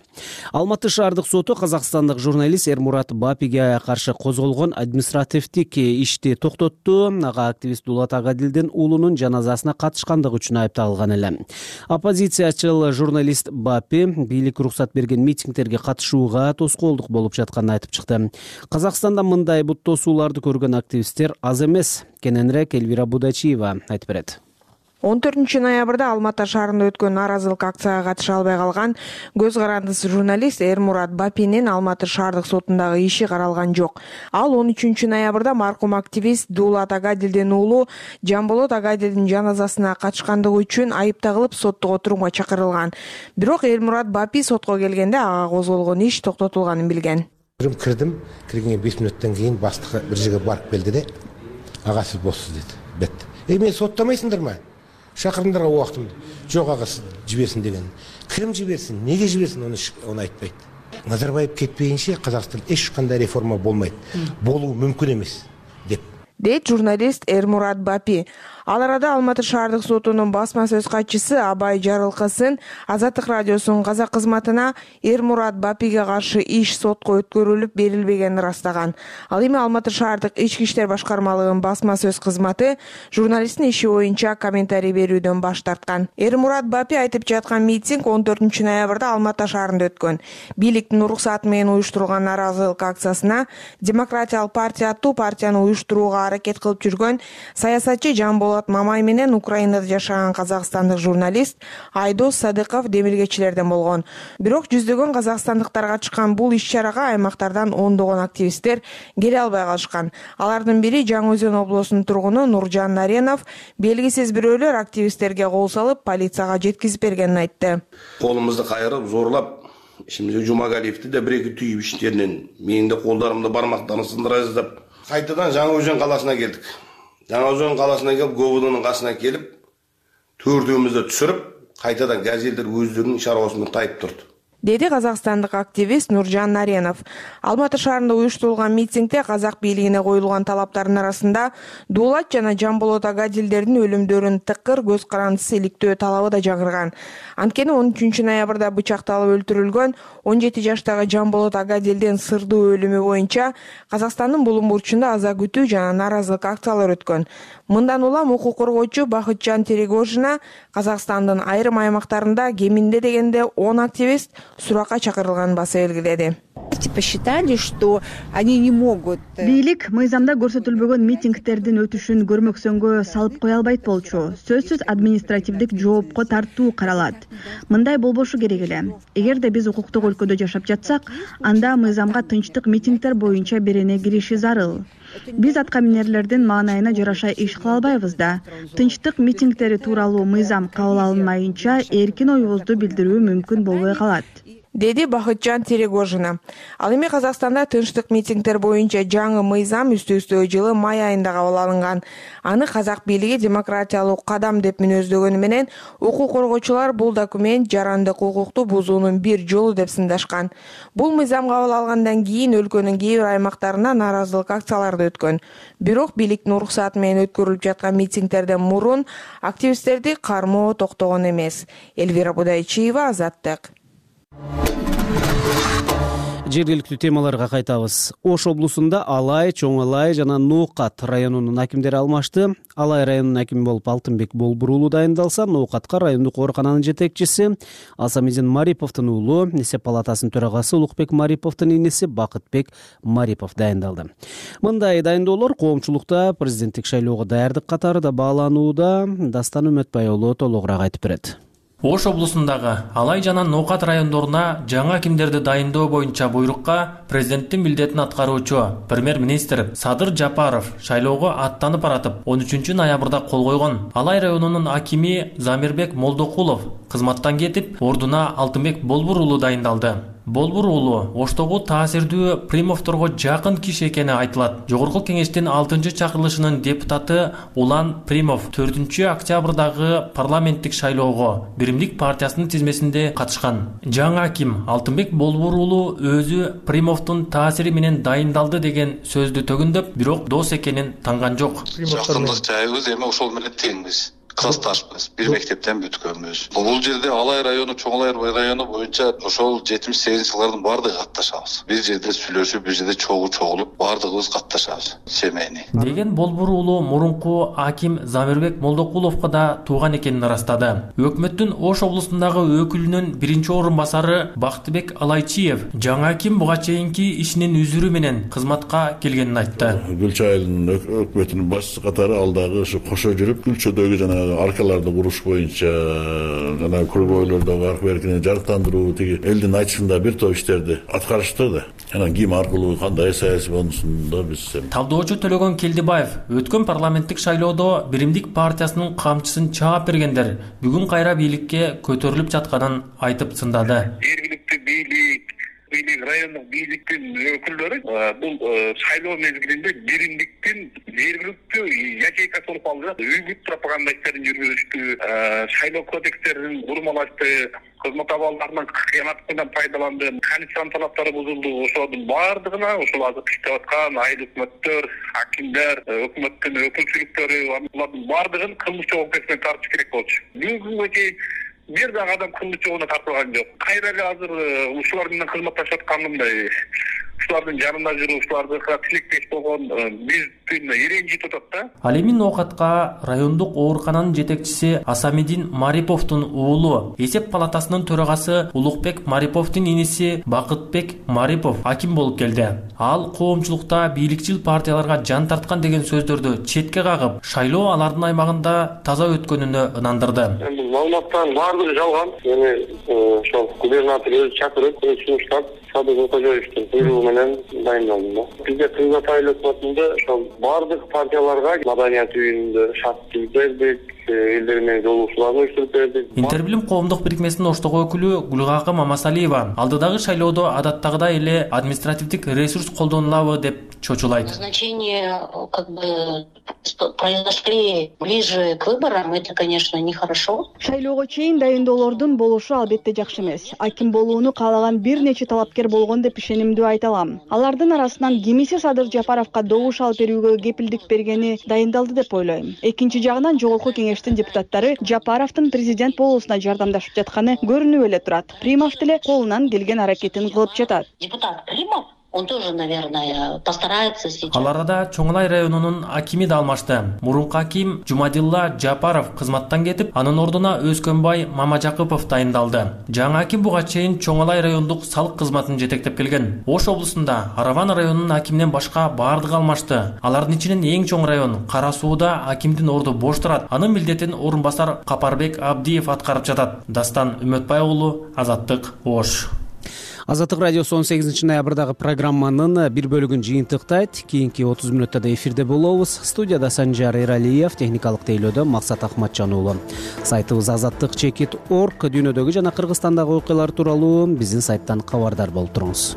Алматы шаардык соту казакстандык журналист Эрмурат Бапиге каршы козголгон административдик ишти токтотту. Ага активист Дулат Агадилдин уулунун жаназасына катышкандыгы үчүн айыпталган эле. Оппозициячыл журналист Бапи бийлик уруксат берген митингдерге катышууга тоскоолдук болуп жатканын айтып чыкты. Казакстанда мындай бут тосууларды көргөн активисттер аз эмес. Кененирээк Элвира Будачиева айтып берет. он төртүнчү ноябрда Алматы шаарында өткөн нааразылык акцияга катыша албай калган көз карандысыз журналист Эрмурат Бапинин Алматы шаардык сотундагы иши каралган жок. Ал он үчүнчү ноябрда маркум активист Дулат Агадилдин уулу Жамболот Агадилдин жаназасына катышкандыгы үчүн айыпталып соттук отурумга чакырылган. Бирок Эрмурат Бапи сотко келгенде ага козголгон иш токтотулганын билген. Кирдим, киргенге беш мүнөттөн кийин баштыгы бир жерге барып келди де, ага сиз боссуз деди. Бет. Эй, мени соттамайсыңдарбы? Шакырыңдарга убактымды. Жок ага жиберсин деген. Ким жиберсин, неге жиберсин, аны аны айтпайт. Назарбаев кетпейинче Казакстанда эч кандай реформа болмайт. Болуу мүмкүн эмес деп. Дейт журналист Эрмурат Бапи. Ал арада Алматы шаардык сотунун басма сөз катчысы Абай Жарылкасын Азаттык радиосунун казак кызматына Эрмурат Бапиге каршы иш сотко өткөрүлүп берилбегенин ырастаган. Ал эми Алматы шаардык ички иштер башкармалыгынын басма сөз кызматы журналисттин иши боюнча комментарий берүүдөн баш тарткан. Эрмурат Бапи айтып жаткан митинг он төртүнчү ноябрда Алматы шаарында өткөн. Бийликтин уруксаты менен уюштурулган нааразылык акциясына Демократиялык партия аттуу партияны уюштурууга аракет кылып жүргөн саясатчы Жамболот Мамай менен Украинада жашаган казакстандык журналист Айдос Садыков демилгечилерден болгон. Бирок жүздөгөн казакстандыктар катышкан бул иш-чарага аймактардан ондогон активисттер келе албай калышкан. Алардын бири Жаңы Өзөн облусунун тургуну Нуржан Наренов белгисиз бирөөлөр активисттерге кол салып, полицияга жеткизип бергенин айтты. Колумузду кайрып, зорлап, ишимизде Жумагалиевди да бир-эки түйүп иштеринен менин да колдарымды бармактарын сындыра жаздап, кайтадан Жаңы Өзөн каласына келдик. Жаңы Өзөн каласына келип, Говудунун касына келип, төртөөмүздү түшүрүп, кайтадан газелдер өздөрүнүн чарабасына тайып турду. Деди казакстандык активист Нуржан Наренов. Алматы шаарында уюштурулган митингде казак бийлигине коюлган талаптардын арасында Дулат жана Жамболот Агадилдердин өлүмдөрүн тыкыр көз карандысыз иликтөө талабы да жаңырган. Анткени он үчүнчү ноябрда бычакталып өлтүрүлгөн он жети жаштагы Жамболот Агадилдин сырдуу өлүмү боюнча Казакстандын булум бурчунда аза күтүү жана нааразылык акциялары өткөн. Мындан улам укук коргоочу Бакытжан Терегожина Казакстандын айрым аймактарында кеминде дегенде он активист суракка чакырылганын баса белгиледи. власти посчитали, что они не могут. Бийлик мыйзамда көрсөтүлбөгөн митингдердин өтүшүн көрмөксөнгө салып кое албайт болчу. Сөзсүз административдик жоопко тартуу каралат. Мындай болбошу керек эле. Эгерде биз укуктук өлкөдө жашап жатсак, анда мыйзамга тынчтык митингдер боюнча берене кириши зарыл. Биз атка минерлердин маанайына жараша иш кыла албайбыз да. Тынчтык митингдери тууралуу мыйзам кабыл алынмайынча эркин оюбузду билдирүү мүмкүн болбой калат, деди Бакытжан Терегожина. Ал эми Казакстанда тынчтык митингдер боюнча жаңы мыйзам үстү-үстө жылы май айында кабыл алынган. Аны казак бийлиги демократиялык кадам деп мүнөздөгөнү менен укук коргоочулар бул документ жарандык укукту бузуунун бир жолу деп сындашкан. Бул мыйзам кабыл алгандан кийин өлкөнүн кээ бир аймактарында нааразылык акциялары өткөн. Бирок бийликтин уруксаты менен өткөрүлүп жаткан митингдерден мурун активисттерди кармоо токтогон эмес. Элвира Будайчиева, Азаттык. Жергиликтүү темаларга кайтабыз. Ош облусунда Алай, Чоң Алай жана Ноокат районунун акимдери алмашты. Алай районунун акими болуп Алтынбек Болбур уулу дайындалса, Ноокатка райондук оорукананын жетекчиси Асамидин Мариповдун уулу, эсеп палатасынын төрагасы Улукбек Мариповдун инеси Бакытбек Марипов дайындалды. Мындай дайындоолор коомчулукта президенттик шайлоого даярдык катары да бааланууда. Дастан Үмөтбай уулу толугураак айтып берет. Ош облусундагы Алай жана Ноокат райондоруна жаңы акимдерди дайындоо боюнча буйрукка президенттин милдетин аткаруучу премьер-министр Садыр Жапаров шайлоого аттанып баратып он үчүнчү ноябрда кол койгон. Алай районунун акими Замирбек Молдокулов кызматтан кетип, ордуна Алтынбек Болбур уулу дайындалды. Болбур уулу Оштогу таасирдүү Примовторго жакын киши экени айтылат. Жогорку кеңештин алтынчы чакырылышынын депутаты Улан Примов төртүнчү октябрдагы парламенттик шайлоого Биримдик партиясынын тизмесинде катышкан. Жаңы аким Алтынбек Болбур уулу өзү Примовдун таасири менен дайындалды деген сөздү төгүндөп, бирок дос экенин танган жок. Жакындык жайыбыз эми ошол менен теңбиз. Кылышташпыз, бир мектептен бүткөнбүз. Бул жерде Алай району, Чоң Алай району боюнча ошол жетимиш сегизинчи жылдардын баардыгы катташабыз. Бир жерде сүйлөшүп, бир жерде чогуу чогулуп, баардыгыбыз катташабыз. Семейни. Деген Болбур уулу мурунку аким Замирбек Молдокуловго да тууган экенин ырастады. Өкмөттүн Ош облусундагы өкүлүнүн биринчи орун басары Бактыбек Алайчиев жаңы аким буга чейинки ишинин үзүрү менен кызматка келгенин айтты. Гүлчө айылынын өкмөтүнүн башчысы катары алдагы ушу кошо жүрүп, Гүлчөдөгү жана аркаларды куруш боюнча жана көйгөйлөрдөгү арка беркини жарыктандыруу, тиги элдин айтышында бир топ иштерди аткарышты да. Анан ким аркылуу кандай саясий болушунда биз талдоочу Төлөгөн Келдибаев өткөн парламенттик шайлоодо Биримдик партиясынын камчысын чаап бергендер бүгүн кайра бийликке көтөрүлүп жатканын айтып сындады. Жергиликтүү бийлик бийлик райондук бийликтин өкүлдөрү бул шайлоо мезгилинде биримдиктин жергиликтүү ячейкасы болуп калды. Үгүт пропаганда иштерин жүргүзүштү, шайлоо кодекстерин бурмалашты, кызмат абалдарынын кыянатынан пайдаланды, конституциянын талаптары бузулду. Ошонун баардыгына ушул азыр иштеп аткан айыл өкмөттөр, акимдер, өкмөттүн өкүлчүлүктөрү, алардын баардыгын кылмыш жоопкерчиликке тартыш керек болчу. Бүгүнкү күнгө чейин бир дагы адам кылмыш жообуна тартылган жок. Кайра эле азыр ушулар менен кызматташып атканымдай ушулардын жанында жүрүп, ушуларга тилектеш болгон биздин иренжитип атат да. Ал эми Ноокатка райондук оорукананын жетекчиси Асамидин Мариповдун уулу, эсеп палатасынын төрагасы Улукбек Мариповдун иниси Бакытбек Марипов аким болуп келди. Ал коомчулукта бийликчил партияларга жан тарткан деген сөздөрдү четке кагып, шайлоо алардын аймагында таза өткөнүнө ынандырды. Эми маалыматтардын баардыгы жалган. Эми ошол губернатор өзү чакырып, сунуштап, Садыр Кожоевдун буйругу менен дайындалдым да. Бизде Кыргыз айыл өкмөтүндө ошол баардык партияларга маданият үйүндө шарт бердик, элдер менен жолугушууларды уюштуруп бердик. Интербилим коомдук бирикмесинин Оштогу өкүлү Гүлгакы Мамасалиева алдыдагы шайлоодо адаттагыдай эле административдик ресурс колдонулабы деп чочулайт. Назначение как бы произошли ближе к выборам, это, конечно, нехорошо. Шайлоого чейин дайындоолордун болушу албетте жакшы эмес. Аким болууну каалаган бир нече талапкер болгон деп ишенимдүү айта алам. Алардын арасынан кимиси Садыр Жапаровго добуш алып берүүгө кепилдик бергени дайындалды деп ойлойм. Экинчи жагынан жогорку кеңештин депутаттары Жапаровдун президент болуусуна жардамдашып жатканы көрүнүп эле турат. Примов деле колунан келген аракетин кылып жатат. Депутат Примов он тоже, наверное, постарается сейчас. Ал арада Чоң Алай районунун акими да алмашты. Мурунку аким Жумадилла Жапаров кызматтан кетип, анын ордуна Өзкөнбай Мамажакыпов дайындалды. Жаңы аким буга чейин Чоң Алай райондук салык кызматын жетектеп келген. Ош облусунда Араван районунун акиминен башка баардыгы алмашты. Алардын ичинен эң чоң район Кара Сууда акимдин орду бош турат. Анын милдетин орун басар Капарбек Абдиев аткарып жатат. Дастан Үмөтбай уулу, Азаттык, Ош. Азаттык радиосу он сегизинчи ноябрдагы программанын бир бөлүгүн жыйынтыктайт. Кийинки отуз мүнөттө да эфирде болобуз. Студияда Санжар Эралиев, техникалык тейлөөдө Максат Ахматжан уулу. Сайтыбыз азаттык чекит точка орг. Дүйнөдөгү жана Кыргызстандагы окуялар тууралуу биздин сайттан кабардар болуп туруңуз.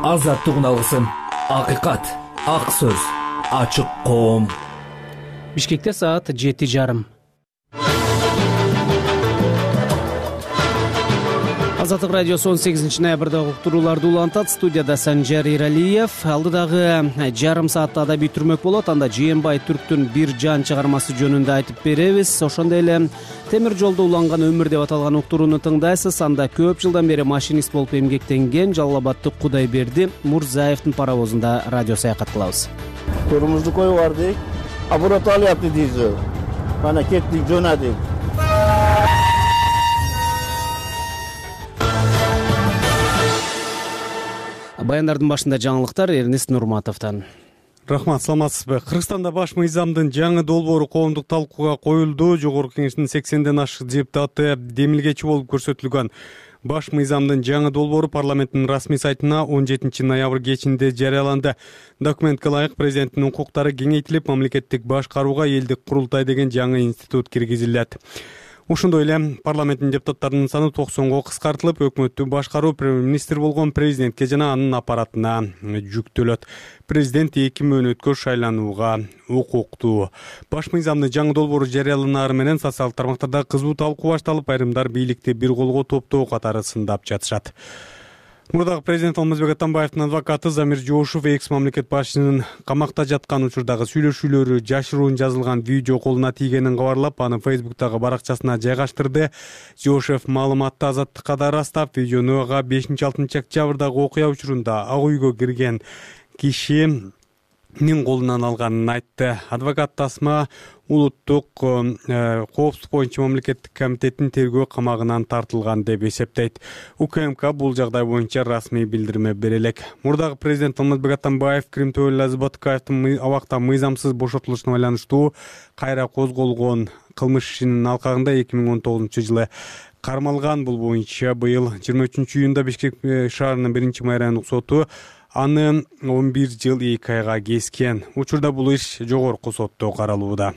Азаттык уналысын, акыйкат, ак сөз, ачык коом. Бишкекте саат жети жарым. Азаттык радиосу он сегизинчи ноябрдагы уктурууларды улантат. Студияда Санжар Эралиев. Алдыдагы жарым саатта адабий түрмөк болот. Анда Жээнбай Түрктүн бир жан чыгармасы жөнүндө айтып беребиз. Ошондой эле темир жолдо уланган өмүр деп аталган уктурууну тыңдайсыз. Анда көп жылдан бери машинист болуп эмгектенген Жалал Абаддык Кудайберди Мурзаевдин паровозунда радио саякат кылабыз. Турумузду коюп бардык. Апарат алыпты дейсиз. Мана кеттик, жөнөдүк. Баяндардын башында жаңылыктар Эрнест Нурматовдон. Рахмат, саламатсызбы? Кыргызстанда баш мыйзамдын жаңы долбоору коомдук талкууга коюлду. Жогорку Кеңештин сексенден ашык депутаты демилгечи болуп көрсөтүлгөн баш мыйзамдын жаңы долбоору парламенттин расмий сайтына он жетинчи ноябрь кечинде жарыяланды. Документке ылайык президенттин укуктары кеңейтилип, мамлекеттик башкарууга элдик курултай деген жаңы институт киргизилет. Ошондой эле парламенттин депутаттарынын саны токсонго кыскартылып, өкмөттү башкаруу премьер-министр болгон президентке жана анын аппаратына жүктөлөт. Президент эки мөөнөткө шайланууга укуктуу. Баш мыйзамдын жаңы долбоору жарыяланары менен социалдык тармактарда кызуу талкуу башталып, айрымдар бийликти бир колго топтоо катары сындап жатышат. Мурдагы президент Алмазбек Атамбаевдин адвокаты Замир Жоошев экс мамлекет башчысынын камакта жаткан учурдагы сүйлөшүүлөрү жашыруун жазылган видео колуна тийгенин кабарлап, аны Фейсбуктагы баракчасына жайгаштырды. Жоошев маалыматты Азаттыкка да ырастап, видеону бешинчи алтынчы октябрдагы окуя учурунда ак үйгө кирген кишинин колунан алганын айтты. Адвокат Тасма улуттук коопсуздук боюнча мамлекеттик комитеттин тергөө камагынан тартылган деп эсептейт. УКМК бул жагдай боюнча расмий билдирме бере элек. Мурдагы президент Алмазбек Атамбаев Крим Төөлө Азбатыкаевдин абакта мыйзамсыз бошотулушуна байланыштуу кайра козголгон кылмыш ишинин алкагында эки миң он тогузунчу жылы кармалган. Бул боюнча быйыл жыйырма үчүнчү июнда Бишкек шаарынын биринчи май райондук соту аны он бир жыл эки айга кескен. Учурда бул иш жогорку сотто каралууда.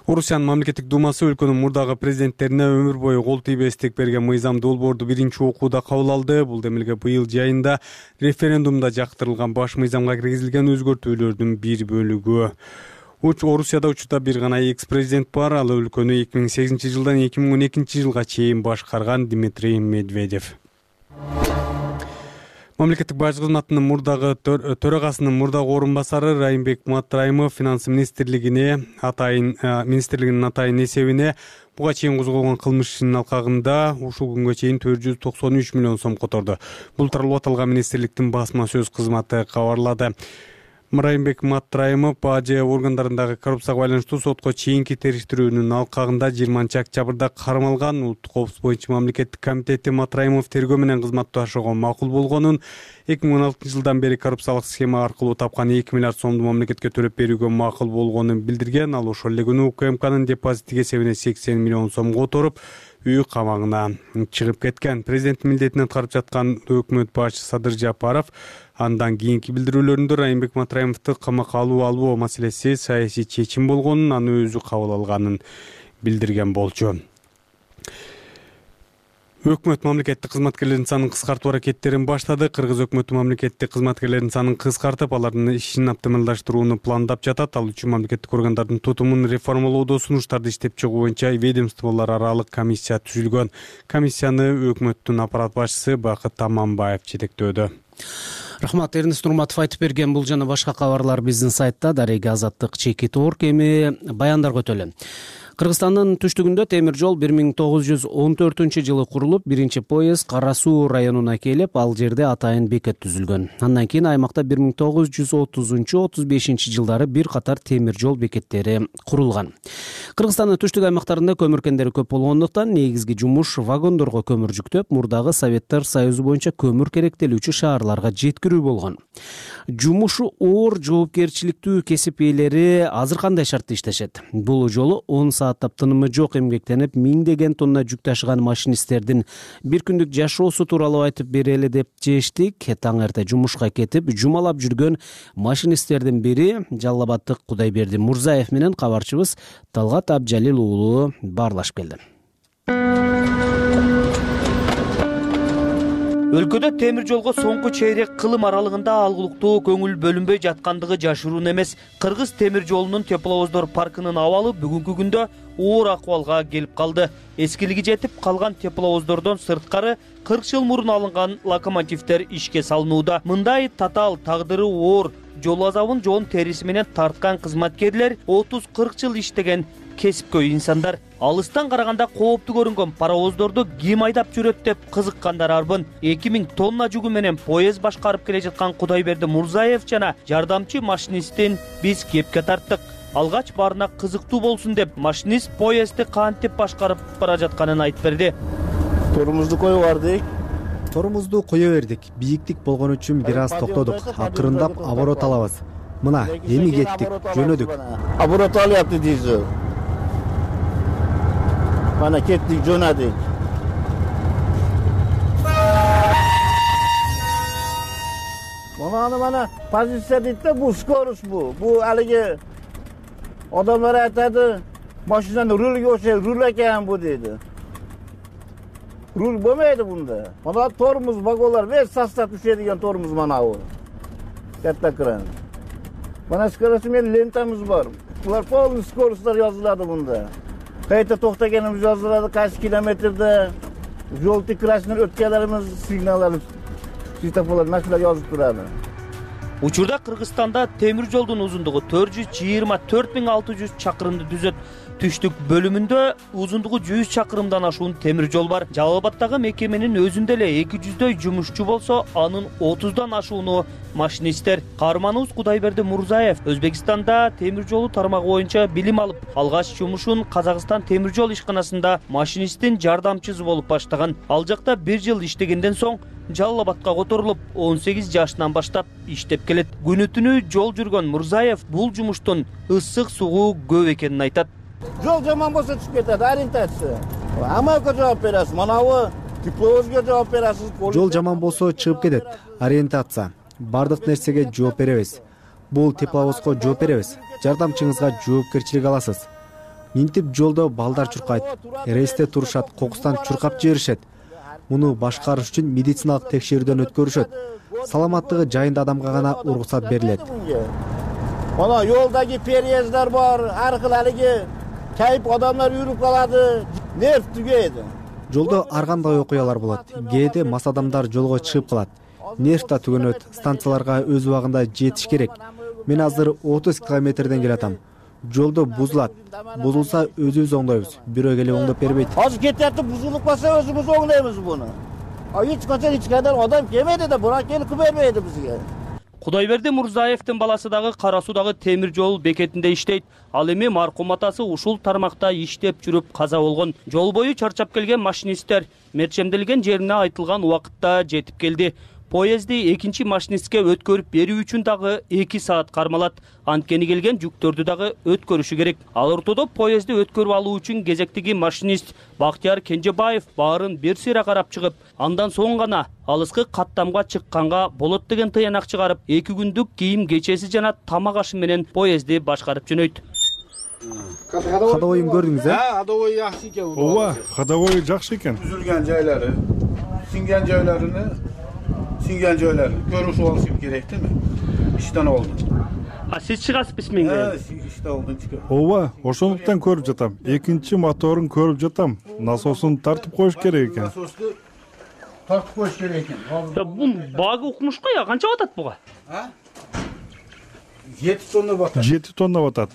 Орусиянын мамлекеттик думасы өлкөнүн мурдагы президенттерине өмүр бою кол тийбестик берген мыйзам долбоорду биринчи окууда кабыл алды. Бул демилге быйыл жайында референдумда жактырылган баш мыйзамга киргизилген өзгөртүүлөрдүн бир бөлүгү. Орусияда учурда бир гана экс-президент бар. Ал өлкөнү эки миң сегизинчи жылдан эки миң он экинчи жылга чейин башкарган Дмитрий Медведев. Мамлекеттик бажы кызматынын мурдагы төрагасынын мурдагы орун басары Райымбек Матраимов финанс министрлигине атайын министрлигинин атайын эсебине буга чейин козголгон кылмыш ишинин алкагында ушул күнгө чейин төрт жүз токсон үч миллион сом которду. Бул тууралуу аталган министрликтин басма сөз кызматы кабарлады. Райымбек Матраимов бажы органдарындагы коррупцияга байланыштуу сотко чейинки териштирүүнүн алкагында жыйырманчы октябрда кармалган. Улуттук коопсуздук боюнча мамлекеттик комитети Матраимов тергөө менен кызматташууга макул болгонун, эки миң он алтынчы жылдан бери коррупциялык схема аркылуу тапкан эки миллиард сомду мамлекетке төлөп берүүгө макул болгонун билдирген. Ал ошол эле күнү УКМКнын депозиттик эсебине сексен миллион сом которуп, үй камагына чыгып кеткен. Президент милдетин аткарып жаткан өкмөт башчысы Садыр Жапаров андан кийинки билдирүүлөрүндө Райымбек Матраимовду камакка алуу албоо маселеси саясий чечим болгонун, аны өзү кабыл алганын билдирген болчу. Өкмөт мамлекеттик кызматкерлердин санын кыскартуу аракеттерин баштады. Кыргыз өкмөтү мамлекеттик кызматкерлердин санын кыскартып, алардын ишин оптималдаштырууну пландап жатат. Ал үчүн мамлекеттик органдардын тутумун реформалоодо сунуштарды иштеп чыгуу боюнча ведомстволор аралык комиссия түзүлгөн. Комиссияны өкмөттүн аппарат башчысы Бакыт Аманбаев жетектөөдө. Рахмат, Эрнест Нурматов айтып берген. Бул жана башка кабарлар биздин сайтта Дарега Азаттык чеки торк. Эми баяндарга өтөлү. Кыргызстандын түштүгүндө темир жол бир миң тогуз жүз он төртүнчү жылы курулуп, биринчи поезд Кара Суу районуна келип, ал жерде атайын бекет түзүлгөн. Андан кийин аймакта бир миң тогуз жүз отузунчу отуз бешинчи жылдары бир катар темир жол бекеттери курулган. Кыргызстандын түштүк аймактарында көмүр кендери көп болгондуктан негизги жумуш вагондорго көмүр жүктөп, мурдагы Советтер Союзу боюнча көмүр керектелүүчү шаарларга жеткирүү болгон. Жумушу оор, жоопкерчиликтүү кесип ээлери азыр кандай шартта иштешет? Бул жолу он сааттап тынымы жок эмгектенип, миңдеген тонна жүк ташыган машинисттердин бир күндүк жашоосу тууралуу айтып берели деп чечтик. Таң эрте жумушка кетип, жумалап жүргөн машинисттердин бири Жалал Абаддык Кудайберди Мурзаев менен кабарчыбыз Талгат Абжалил уулу баарлашып келди. Өлкөдө темир жолго соңку чейрек кылым аралыгында алгылыктуу көңүл бөлүнбөй жаткандыгы жашыруун эмес. Кыргыз темир жолунун тепловоздор паркынын абалы бүгүнкү күндө оор акыбалга келип калды. Эскилиги жетип калган тепловоздордон сырткары кырк жыл мурун алынган локомотивдер ишке салынууда. Мындай татаал тагдыры оор жол азабын жоон териси менен тарткан кызматкерлер отуз кырк жыл иштеген кесипкөй инсандар. Алыстан караганда кооптуу көрүнгөн паровоздорду ким айдап жүрөт деп кызыккандар арбын. эки миң тонна жүгү менен поезд башкарып келе жаткан Кудайберди Мурзаев жана жардамчы машинисттин биз кепке тарттык. Алгач баарына кызыктуу болсун деп машинист поездди кантип башкарып бара жатканын айтып берди. Торумузду коюп бардык. Торумузду кое бердик. Бийиктик болгон үчүн бир аз токтодук. Акырындап оборот алабыз. Мына, эми кеттик, жөнөдүк. Оборот алыпты дейсиз. Mana ketdik, jo'nadik. Mana mana pozitsiya deydi, bu skorost bu. Bu haligi odamlar aytadi, mashinani rulga o'xshaydi, rul ekan bu deydi. Rul bo'lmaydi bunda. Mana tormuz vagonlar ve sostav tushadigan tormuz mana bu. Katta kran. Mana skorost men lentamiz bor. Bular polni skorostlar yoziladi bunda. Qayta to'xtaganimiz yoziladi, qaysi kilometrda yo'l tikrashini o'tganlarimiz signallari svetoforlar nashular yozib turadi. Учурда Кыргызстанда темир жолдун узундугу төрт жүз жыйырма төрт миң алты жүз чакырымды түзөт. Түштүк бөлүмүндө узундугу жүз чакырымдан ашуун темир жол бар. Жалал Абаддагы мекеменин өзүндө эле эки жүздөй жумушчу болсо, анын отуздан ашууну машинисттер. Каарманыбыз Кудайберди Мурзаев Өзбекстанда темир жолу тармагы боюнча билим алып, алгач жумушун Казакстан темир жол ишканасында машинисттин жардамчысы болуп баштаган. Ал жакта бир жыл иштегенден соң Жалал Абадка которулуп, он сегиз жашынан баштап иштеп келет. Күнү түнү жол жүргөн Мурзаев бул жумуштун ысык сугуу көп экенин айтат. Жол жаман болсо түшүп кетет, ориентация. Амалга жооп бересиз, манабы тепловозго жооп бересиз. Жол жаман болсо чыгып кетет, ориентация. Бардык нерсеге жооп беребиз. Бул тепловозго жооп беребиз. Жардамчыңызга жоопкерчилик аласыз. Минтип жолдо балдар чуркайт, рейсте турушат, кокустан чуркап жиберишет. Муну башкарыш үчүн медициналык текшерүүдөн өткөрүшөт. Саламаттыгы жайында адамга гана уруксат берилет. Мана жолдагы переездер бар, ар кыл алиги кайып адамдар үрүп калады, нерв түгөйдү. Жолдо ар кандай окуялар болот. Кээде мас адамдар жолго чыгып калат. Нерв да түгөнөт, станцияларга өз убагында жетиш керек. Мен азыр отуз километрден келатам. Жолдо бузулат. Бузулса өзүбүз оңдойбуз. Бирөө келип оңдоп бербейт. Азыр кетип бузулуп калса өзүбүз оңдойбуз буну. А эч качан эч кайдан адам келмейди да, бура келип бербейди бизге. Кудайберди Мурзаевдин баласы дагы Кара Суудагы темир жол бекетинде иштейт. Ал эми маркум атасы ушул тармакта иштеп жүрүп каза болгон. Жол бою чарчап келген машинисттер мерчемделген жерине айтылган убакытта жетип келди. Поезди экинчи машинистке өткөрүп берүү үчүн дагы эки саат кармалат. Анткени келген жүктөрдү дагы өткөрүшү керек. Ал ортодо поезди өткөрүп алуу үчүн кезектеги машинист Бактияр Кенжебаев баарын бир сыйра карап чыгып, андан соң гана алыскы каттамга чыкканга болот деген тыянак чыгарып, эки күндүк кийим кечеси жана тамак ашы менен поезди башкарып жөнөйт. Ходовойун көрдүңүз э? Ходовой жакшы экен. Ооба, ходовой жакшы экен. Үзүлгөн жайлары, сиңген жайларыны, сиңген жайларын көрүшүп алышым керек деме? Иштен болду. А сиз чыгасызбы менге? Иштен болдун чыгып. Ооба, ошондуктан көрүп жатам. Экинчи моторун көрүп жатам. Насосун тартып коюш керек экен. Насосты тартып коюш керек экен. Бул багы укмуш го я, канча батат буга? А? жети тонна батат. жети тонна батат.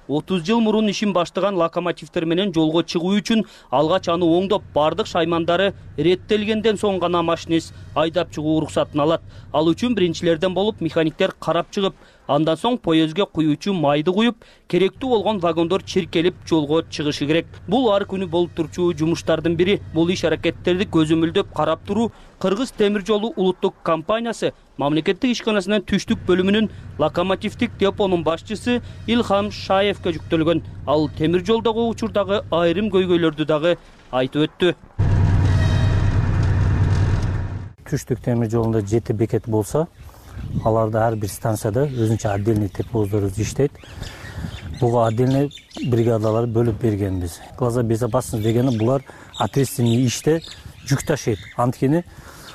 отуз жыл мурун ишин баштаган локомотивдер менен жолго чыгуу үчүн алгач аны оңдоп бардык шаймандары реттелгенден соң гана машинист айдап чыгуу уруксатын алат. Ал үчүн биринчилерден болуп механиктер карап чыгып, андан соң поездге куюучу майды куюп, керектүү болгон вагондор чиркелип жолго чыгышы керек. Бул ар күнү болуп турчу жумуштардын бири. Бул иш аракеттерди көзөмөлдөп карап туруу Кыргыз темир жолу улуттук компаниясы мамлекеттик ишканасынын түштүк бөлүмүнүн локомотивдик депонун башчысы Илхам Шаевке жүктөлгөн. Ал темир жолдогу учурдагы айрым көйгөйлөрдү дагы айтып өттү. Түштүк темир жолунда жети бекет болсо, аларда ар бир станцияда өзүнчө отдельный тепловоздор иштейт. Буга отдельный бригадалар бөлүп бергенбиз. Глаза безопасности дегени булар ответственный иште жүк ташыйт. Анткени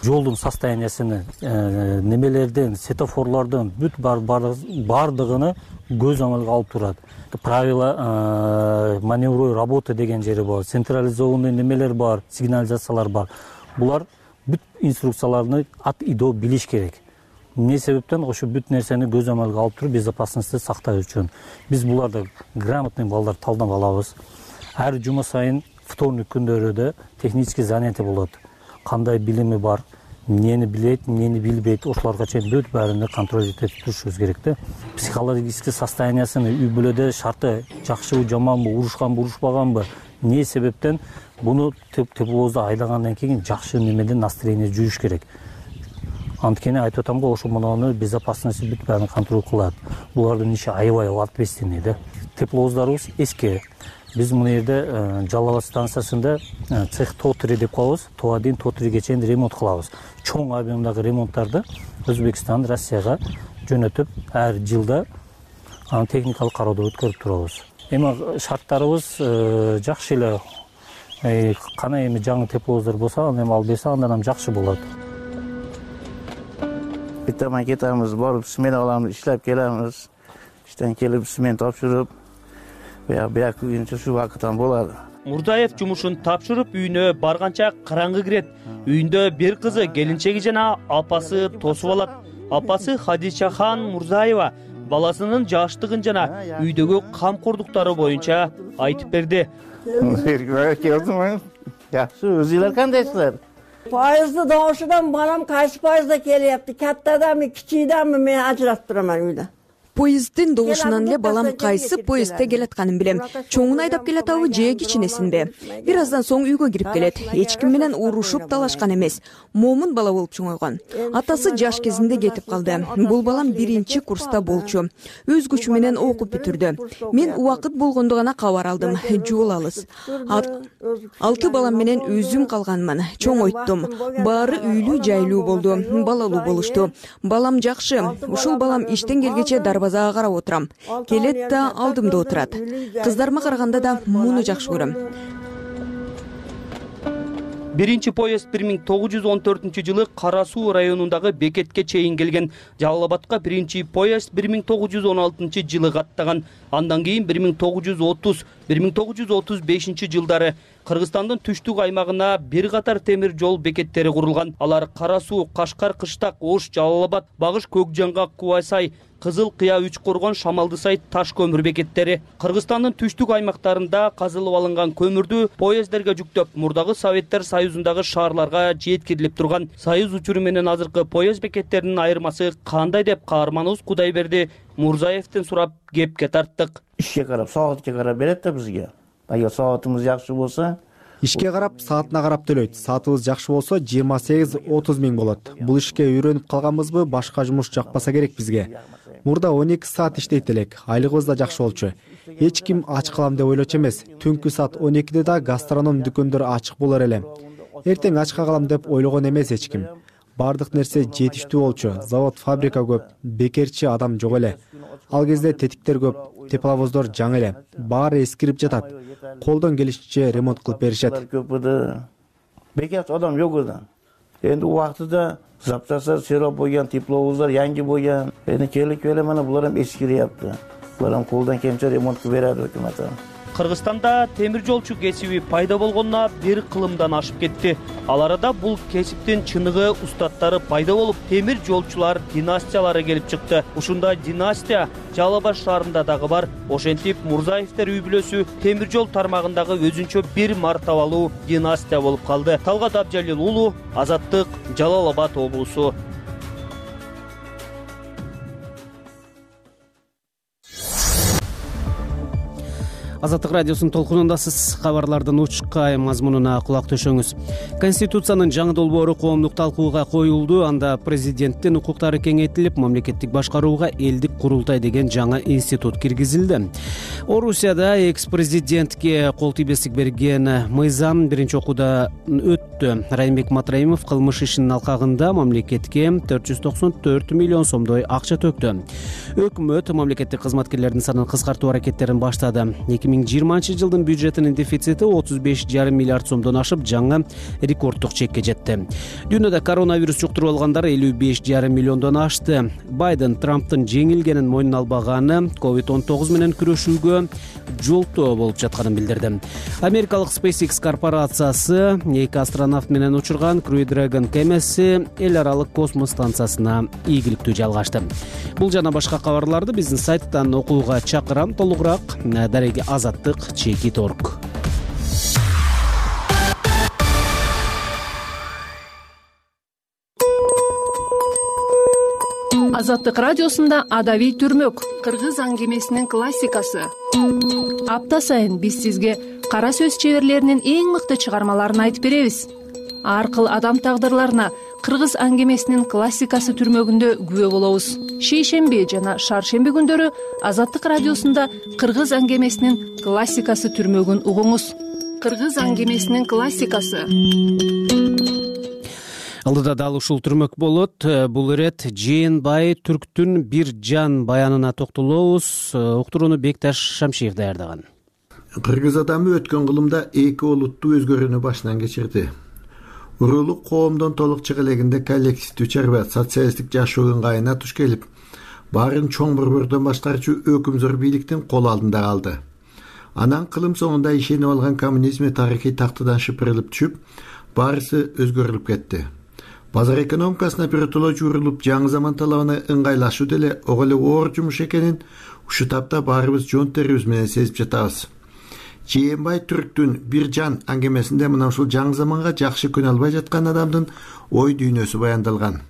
жолдун состояниясыны, немелерден, светофорлордон бүт бардыгыны көз амалга алып турат. Правила маневровой работы деген жери бар, централизованный немелер бар, сигнализациялар бар. Булар бүт инструкцияларны ат идо билиш керек. Эмне себептен ошо бүт нерсени көз амалга алып туруп безопасностьту сакташ үчүн биз буларды грамотный балдар талдап алабыз. Ар жума сайын вторник күндөрү да технический занятие болот. Кандай билими бар, эмнени билет, эмнени билбейт, ошолорго чейин бүт баарыны контроль этип турушубуз керек да. Психологический состояниясын үй бүлөдө шарты жакшыбы, жаманбы, урушканбы, урушпаганбы, эмне себептен буну тепловозду айдагандан кийин жакшы немеден настроение жүрүш керек. Анткени айтып атам го, ошо мунуну безопасность бүт баарын контроль кылат. Булардын иши аябай ответственный да. Тепловоздарыбыз эски. Биз мына жерде Жалал абад станциясында цех то три деп коебуз. то один, то триге чейин ремонт кылабыз. Чоң объемдагы ремонттарды Өзбекстан, Россияга жөнөтүп, ар жылда аны техникалык кароодон өткөрүп турабыз. Эми шарттарыбыз жакшы эле. Кана эми жаңы тепловоздар болсо, аны эми алып берсе, андан жакшы болот. Биттен кетебиз, барып смена алабыз, иштеп келебиз. Иштен келип смен тапшырып, бияк күнчө ушу вакыттан болот. Мурзаев жумушун тапшырып үйүнө барганча караңгы кирет. Үйүндө бир кызы, келинчеги жана апасы тосуп алат. Апасы Хадичахан Мурзаева баласынын жаштыгын жана үйдөгү камкордуктары боюнча айтып берди. Жакшы, өзүлөр кандайсыздар? Поезды добушудан балам кайсы поездда келипти? Каттаданбы, кичийданбы мен ажыратып турам үйдө. Поезддин добушунан эле балам кайсы поездде келатканын билем. Чоңун айдап келатабы же кичинесинби? Бир аздан соң үйгө кирип келет. Эч ким менен урушуп талашкан эмес. Момун бала болуп чоңойгон. Атасы жаш кезинде кетип калды. Бул балам биринчи курста болчу. Өз күчү менен окуп бүтүрдү. Мен убакыт болгондо гана кабар алдым. Жол алыс. Алты балам менен өзүм калганмын. Чоңойттум. Баары үйлүү жайлуу болду. Балалуу болушту. Балам жакшы. Ушул балам иштен келгече дарбазага карап отурам. Келет да алдымда отурат. Кыздарыма караганда да муну жакшы көрөм. Биринчи поезд бир миң тогуз жүз он төртүнчү жылы Кара Суу районундагы бекетке чейин келген. Жалал абадка биринчи поезд бир миң тогуз жүз он алтынчы жылы каттаган. Андан кийин бир миң тогуз жүз отуз, бир миң тогуз жүз отуз бешинчи жылдары Кыргызстандын түштүк аймагына бир катар темир жол бекеттери курулган. Алар Кара Суу, Кашкар, Кыштак, Ош, Жалал абад, Багыш, Көкжаңгак, Кубайсай, Кызыл Кыя, Үч Коргон, Шамалдысай, Таш көмүр бекеттери. Кыргызстандын түштүк аймактарында казылып алынган көмүрдү поезддерге жүктөп, мурдагы Советтер Союзундагы шаарларга жеткирилип турган. Союз учуру менен азыркы поезд бекеттеринин айырмасы кандай деп каарманыбыз Кудайберди Мурзаевден сурап кепке тарттык. Ишке карап, саатка карап берет да бизге. Эгер саатыбыз жакшы болсо, ишке карап, саатына карап төлөйт. Саатыбыз жакшы болсо жыйырма сегиз отуз миң болот. Бул ишке үйрөнүп калганбызбы, башка жумуш жакпаса керек бизге. Мурда он эки саат иштейт элек. Айлыгыбыз да жакшы болчу. Эч ким ач калам деп ойлочу эмес. Түнкү саат он экиде да гастроном дүкөндөр ачык болор эле. Эртең ачка калам деп ойлогон эмес эч ким. баардык нерсе жетиштүү болчу. Завод, фабрика көп, бекерчи адам жок эле. Ал кезде тетиктер көп, тепловоздор жаңы эле. Баары эскирип жатат. Колдон келишинче ремонт кылып беришет. Бекерчи адам жок эде. Энди убактыда запчастар серо бойган, тепловоздар yangi бойган. Эми келип эле мына булар эм эскирип. Булар колдон келишинче ремонт кылып берет өкмөт. Кыргызстанда темир жолчу кесиби пайда болгонуна бир кылымдан ашып кетти. Ал арада бул кесиптин чыныгы устаттары пайда болуп, темир жолчулар династиялары келип чыкты. Ушундай династия Жалал Абад шаарында дагы бар. Ошентип Мурзаевдер үй бүлөсү темир жол тармагындагы өзүнчө бир мартабалуу династия болуп калды. Талгат Абжалил уулу, Азаттык, Жалал Абад облусу. Азаттык радиосунун толкунундасыз. Кабарлардын учкай мазмунуна кулак төшөңүз. Конституциянын жаңы долбоору коомдук талкууга коюлду. Анда президенттин укуктары кеңейтилип, мамлекеттик башкарууга элдик курултай деген жаңы институт киргизилди. Орусияда экс-президентке кол тийбестик берген мыйзам биринчи окууда өттү. Райымбек Матраимов кылмыш ишинин алкагында мамлекетке төрт жүз токсон төрт миллион сомдой акча төктү. Өкмөт мамлекеттик кызматкерлердин санын кыскартуу аракеттерин баштады. эки миң жыйырманчы жылдын бюджетинин дефицити отуз беш жарым миллиард сомдон ашып, жаңы рекорддук чекке жетти. Дүйнөдө коронавирус жуктуруп алгандар элүү беш жарым миллиондон ашты. Байден Трамптын жеңилгенин мойнуна албаганы ковид он тогуз менен күрөшүүгө жолтоо болуп жатканын билдирди. Америкалык SpaceX корпорациясы эки астронавт менен учурган Crew Dragon кемеси эл аралык космос станциясына ийгиликтүү жалгашты. Бул жана башка кабарларды биздин сайттан окууга чакырам. Толугураак дареги Азаттык чекит орг. Азаттык радиосунда Адабий түрмөк, кыргыз аңгемесинин классикасы. Апта сайын биз сизге кара сөз чеберлеринин эң мыкты чыгармаларын айтып беребиз. Ар кыл адам тагдырларына кыргыз аңгемесинин классикасы түрмөгүндө күбө болобуз. Шейшемби жана шаршемби күндөрү Азаттык радиосунда кыргыз аңгемесинин классикасы түрмөгүн угуңуз. Кыргыз аңгемесинин классикасы. Алдыда дал ушул түрмөк болот. Бул ирет Жээнбай Түрктүн бир жан баянына токтолобуз. Уктурууну Бекташ Шамшиев даярдаган. Кыргыз адамы өткөн кылымда эки олуттуу өзгөрүүнү башынан кечирди. Урулук коомдон толук чыга элегинде коллективдүү чарба социалисттик жашоо ыңгайына туш келип, баарын чоң борбордон башкарчу өкүмзөр бийликтин кол алдында калды. Анан кылым соңунда ишенип алган коммунизми тарыхый тактыдан шыпырылып түшүп, баарысы өзгөрүлүп кетти. Базар экономикасына биротоло журулуп, жаңы заман талабына ыңгайлашуу деле ого эле оор жумуш экенин ушу тапта баарыбыз жон терибиз менен сезип жатабыз. Жээнбай Түрктүн бир жан аңгемесинде мына ушул жаңы заманга жакшы күнө албай жаткан адамдын ой дүйнөсү баяндалган.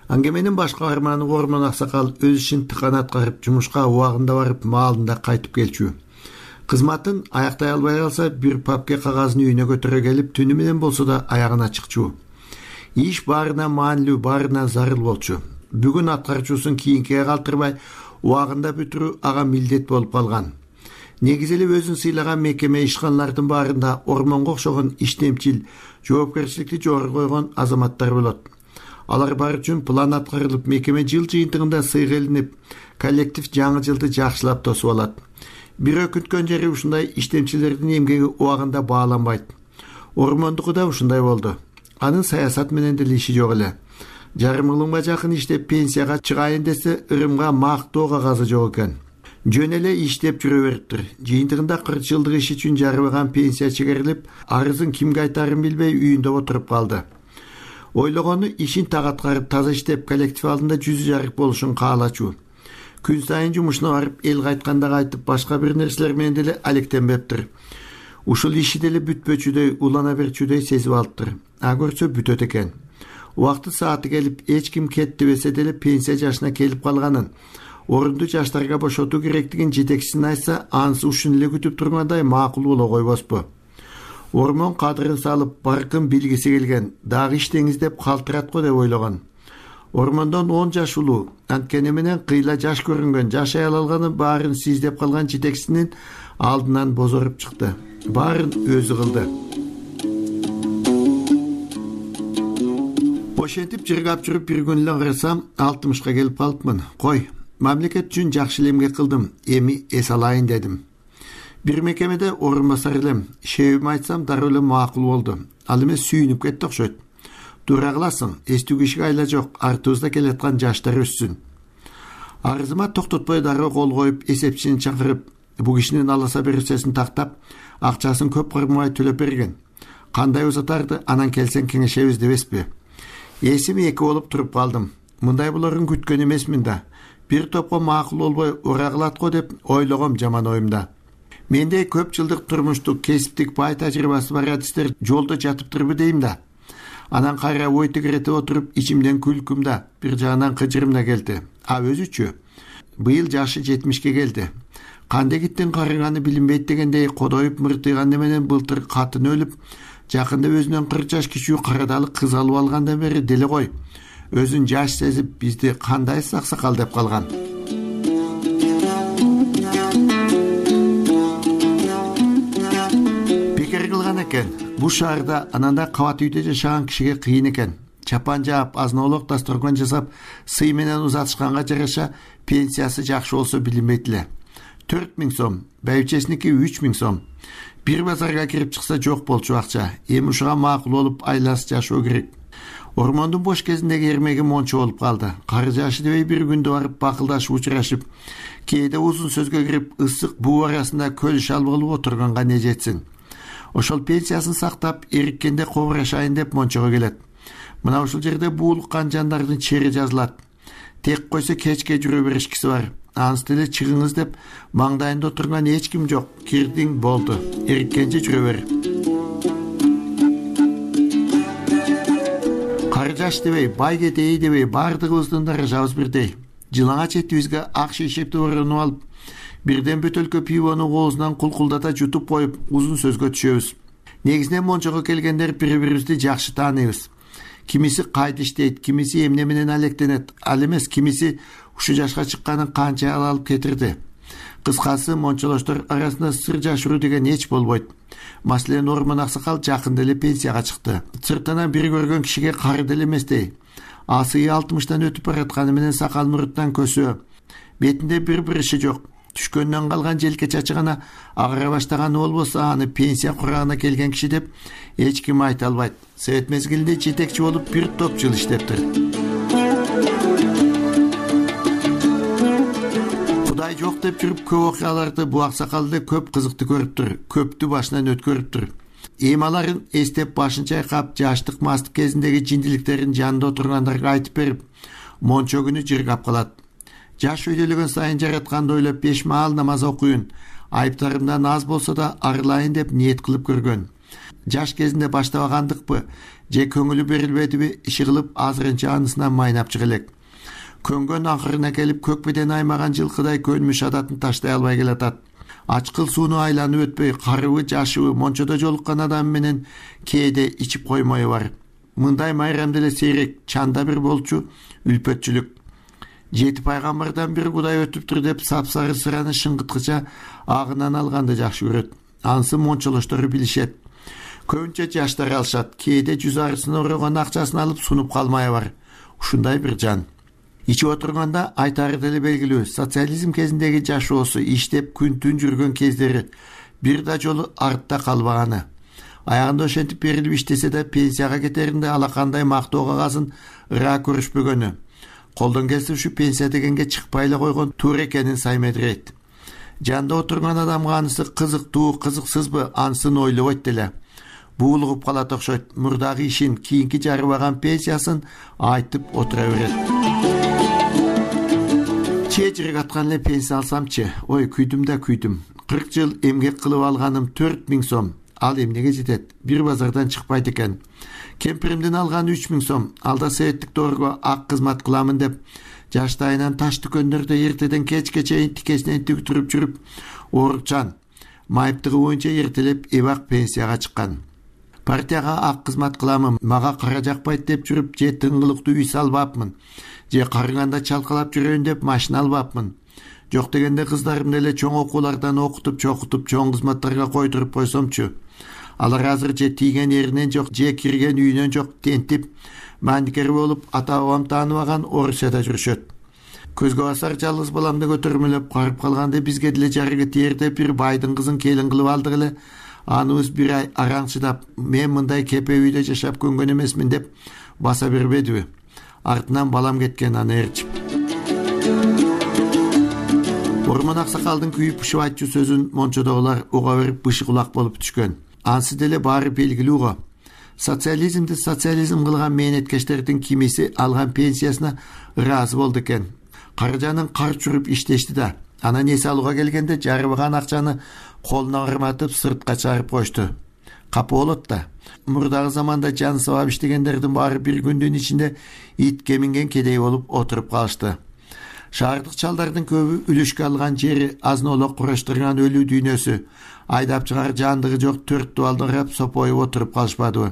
Аңгеменин баш каарманы Ормон Аксакал өз ишин тыкан аткарып, жумушка убагында барып, маалында кайтып келчү. Кызматын аяктай албай калса, бир папке кагазын үйүнө көтөрө келип, түнү менен болсо да аягына чыкчу. Иш баарына маанилүү, баарына зарыл болчу. Бүгүн аткарчуусун кийинкиге калтырбай, убагында бүтүрүү ага милдет болуп калган. Негизи эле өзүн сыйлаган мекеме ишканалардын баарында Ормонго окшогон иштемчил, жоопкерчиликти жогору койгон азаматтар болот. Алар бар үчүн план аткарылып, мекеме жыл жыйынтыгында сыйга илинип, коллектив жаңы жылды жакшылап тосуп алат. Бир өкүнткөн жери ушундай иштемчилердин эмгеги убагында бааланбайт. Ормондуку да ушундай болду. Анын саясат менен деле иши жок эле. Жарым кылымга жакын иштеп пенсияга чыгайын десе, ырымга мактоо кагазы жок экен. Жөн эле иштеп жүрө бериптир. Жыйынтыгында кырк жылдык иш үчүн жарыбаган пенсия чегерилип, арызын кимге айтарын билбей үйүндө отуруп калды. Ойлогону ишин так аткарып, таза иштеп, коллектив алдында жүзү жарык болушун каалачу. Күн сайын жумушуна барып, эл кайтканда кайтып, башка бир нерселер менен деле алектенбептир. Ушул иши деле бүтпөчүдөй, улана берчүдөй сезип алыптыр. А көрсө бүтөт экен. Убакты сааты келип, эч ким кетти десе деле пенсия жашына келип калганын, орунду жаштарга бошотуу керектигин жетекчисине айтса, анысы ушун эле күтүп тургандай макул боло койбоспу. Ормон кадырын салып, баркын билгиси келген, дагы иштеңиз деп калтырат го деп ойлогон. Ормондон он жаш улуу, анткени менен кыйла жаш көрүнгөн, жашай алганы баарын сиздеп калган жетекчисинин алдынан бозоруп чыкты. Баарын өзү кылды. Ошентип жыргап жүрүп бир күн эле карасам алтымышка келип калыпмын. Кой, мамлекет үчүн жакшы эле эмгек кылдым, эми эс алайын дедим. Бир мекемеде орун басар элем. Шебим айтсам дароо эле макул болду. Ал эми сүйүнүп кетти окшойт. Туура кыласың, эстүү кишиге айла жок, артыбызда келаткан жаштар өссүн. Арызыма токтотпой дароо кол коюп, эсепчини чакырып, бу кишинин аласа берүүсесин тактап, акчасын көп кырмай төлөп берген. Кандай узатарды анан келсең кеңешебиз дебеспи? Эсим эки болуп туруп калдым. Мындай буларын күткөн эмесмин да. Бир топко макул болбой ура кылат го деп ойлогом жаман оюмда. Менде көп жылдык турмуштук, кесиптик бай тажрыйбасы бар адистер жолдо жатыптырбы дейм да. Анан кайра ой тегеретип отуруп, ичимден күлкүм да, бир жагынан кыжырым да келди. А өзүчү? Быйыл жашы жетимишке келди. Кандай киттин карыганы билинбейт дегендей кодоюп мыртыйган менен былтыр катын өлүп, жакында өзүнөн кырк жаш кичүү карадалы кыз алып алгандан бери деле кой. Өзүн жаш сезип бизди кандай саксакал деп калган. Бекер кылган экен. Бу шаарда ананда кабат үйдө жашаган кишиге кыйын экен. Чапан жаап, азын-олок дасторкон жасап, сый менен узатышканга жараша пенсиясы жакшы болсо билинбейт эле. төрт миң сом, байбичесиники үч миң сом. Бир базарга кирип чыкса жок болчу акча. Эми ушуга макул болуп айласы жашоо керек. Ормондун бош кезиндеги эрмеги мончо болуп калды. Кары жашы дебей бир күндө барып бакылдашып учурашып, кээде узун сөзгө кирип, ысык буу арасында көл шал болуп отурганга не жетсин. Ошол пенсиясын сактап, эриккенде кобурашайын деп мончого келет. Мына ушул жерде буулуккан жандардын чери жазылат. Тек койсо кечке жүрө беришкиси бар. Ансы деле чыгыңыз деп маңдайында отурган эч ким жок. Кирдиң болду. Эриккенче жүрө бер. Кары жаш дебей, бай кетейи дебей, бардыгыбыздын даражабыз бирдей. Жылаңа четибизге ак шишепти орунуп алып, бирден бөтөлкө пивону оозунан кулкулдата жутуп коюп, узун сөзгө түшөбүз. Негизинен мончого келгендер бири-бирибизди жакшы тааныйбыз. Кимиси кайда иштейт, кимиси эмне менен алектенет, ал эмес кимиси ушу жашка чыкканын канча алып кетирди. Кыскасы, мончолоштор арасында сыр жашыруу деген эч болбойт. Маселен, Ормон аксакал жакында эле пенсияга чыкты. Сыртынан бир көргөн кишиге кары деле эместей. Асыйы алтымыштан өтүп баратканы менен сакал мурттан көсөө. Бетинде бир бириши жок. Түшкөндөн калган желке чачы гана агара баштаганы болбосо, аны пенсия курагына келген киши деп эч ким айта албайт. Совет мезгилинде жетекчи болуп бир топ жыл иштептир. Кудай жок деп жүрүп көп окуяларды бу аксакалды көп кызыкты көрүптүр, көптү башынан өткөрүптүр. Эми аларын эстеп башын чайкап, жаштык мастык кезиндеги жиндиликтерин жанында отургандарга айтып берип, мончо күнү жыргап калат. Жаш өйдөлөгөн сайын жаратканды ойлоп беш маал намаз окуйун, айыптарымдан аз болсо да арылайын деп ниет кылып көргөн. Жаш кезинде баштабагандыкпы, же көңүлү берилбедиби, иши кылып азырынча анысынан майнап чыга элек. Көнгөн акырына келип көкбеден аймаган жылкыдай көнмүш адатын таштай албай келатат. Ачкыл сууну айланып өтпөй, карыбы жашыбы мончодо жолуккан адам менен кээде ичип коймою бар. Мындай майрам деле сейрек, чанда бир болчу үлпөтчүлүк. Жети пайгамбардан бир Кудай өтүптүр деп сапсары сыраны шыңгыткыча агынан алганды жакшы көрөт. Ансы мончолоштору билишет. Көбүнчө жаштар алышат. Кээде жүз арысын орогон акчасын алып сунуп калмай бар. Ушундай бир жан. Ичип отурганда айтары деле белгилүү. Социализм кезиндеги жашоосу, иштеп күн-түн жүргөн кездери бир да жолу артта калбаганы. Аягында ошентип берилип иштесе да пенсияга кетеринде алакандай мактоо кагасын ыра көрүшпөгөнү. Колдон келсе ушу пенсия дегенге чыкпай эле койгон туура экенин саймедирейт. Жанда отурган адамга анысы кызыктуу, кызыксызбы, ансын ойлобойт деле. Буулугуп калат окшойт. Мурдагы ишин, кийинки жарыбаган пенсиясын айтып отура берет. Чечирик аткан эле пенсия алсамчы, ой күйдүм да күйдүм. кырк жыл эмгек кылып алганым төрт миң сом. Ал эмнеге жетет? Бир базардан чыкпайт экен. Кемпиримдин алганы үч миң сом. Алда советтик доорго ак кызмат кыламын деп жаштайынан таш дүкөндөрдө эртеден кечке чейин тикесинен тигип жүрүп, оорукчан, майыптыгы боюнча эртелеп эбак пенсияга чыккан. Партияга ак кызмат кыламын, мага кара жакпайт деп жүрүп, же тыңгылыктуу үй салбапмын, же карыганда чалкалап жүрөйүн деп машина албапмын. Жок дегенде кыздарымды эле чоң окуулардан окутуп, чокутуп, чоң кызматтарга койдуруп койсомчу. Алар азыр же тийген эринен жок, же кирген үйүнөн жок, тентип, мааникер болуп ата бабам тааныбаган Орусияда жүрүшөт. Көзгө басар жалгыз баламды көтөрмөлөп карып калганда бизге деле жарыгы тиерде бир байдын кызын келин кылып алдык эле. Аныбыз бир ай араң чыдап, мен мындай кепе үйдө жашап көнгөн эмесмин деп баса бербедиби? Артынан балам кеткен, аны ээрчип. Ормон Аксакалдын күйүп пышып айтчу сөзүн мончодогулар уга берип бышы кулак болуп түшкөн. Ансы деле баары белгилүү го. Социализмди социализм кылган мээнеткечтердин кимиси алган пенсиясына ыраазы болду экен. Каржанын кар чүрүп иштешти да. Анан эс алууга келгенде жарыбаган акчаны колуна ырматып сыртка чыгарып кошту. Капы болот да. Мурдагы заманда жан сабап иштегендердин баары бир күндүн ичинде итке минген кедей болуп отуруп калышты. Шаардык чалдардын көбү үлүшкө алган жери азнолок кураштырган өлүү дүйнөсү, айдап чыгар жандыгы жок төрт дубалды карап сопоюп отуруп калышпадыбы?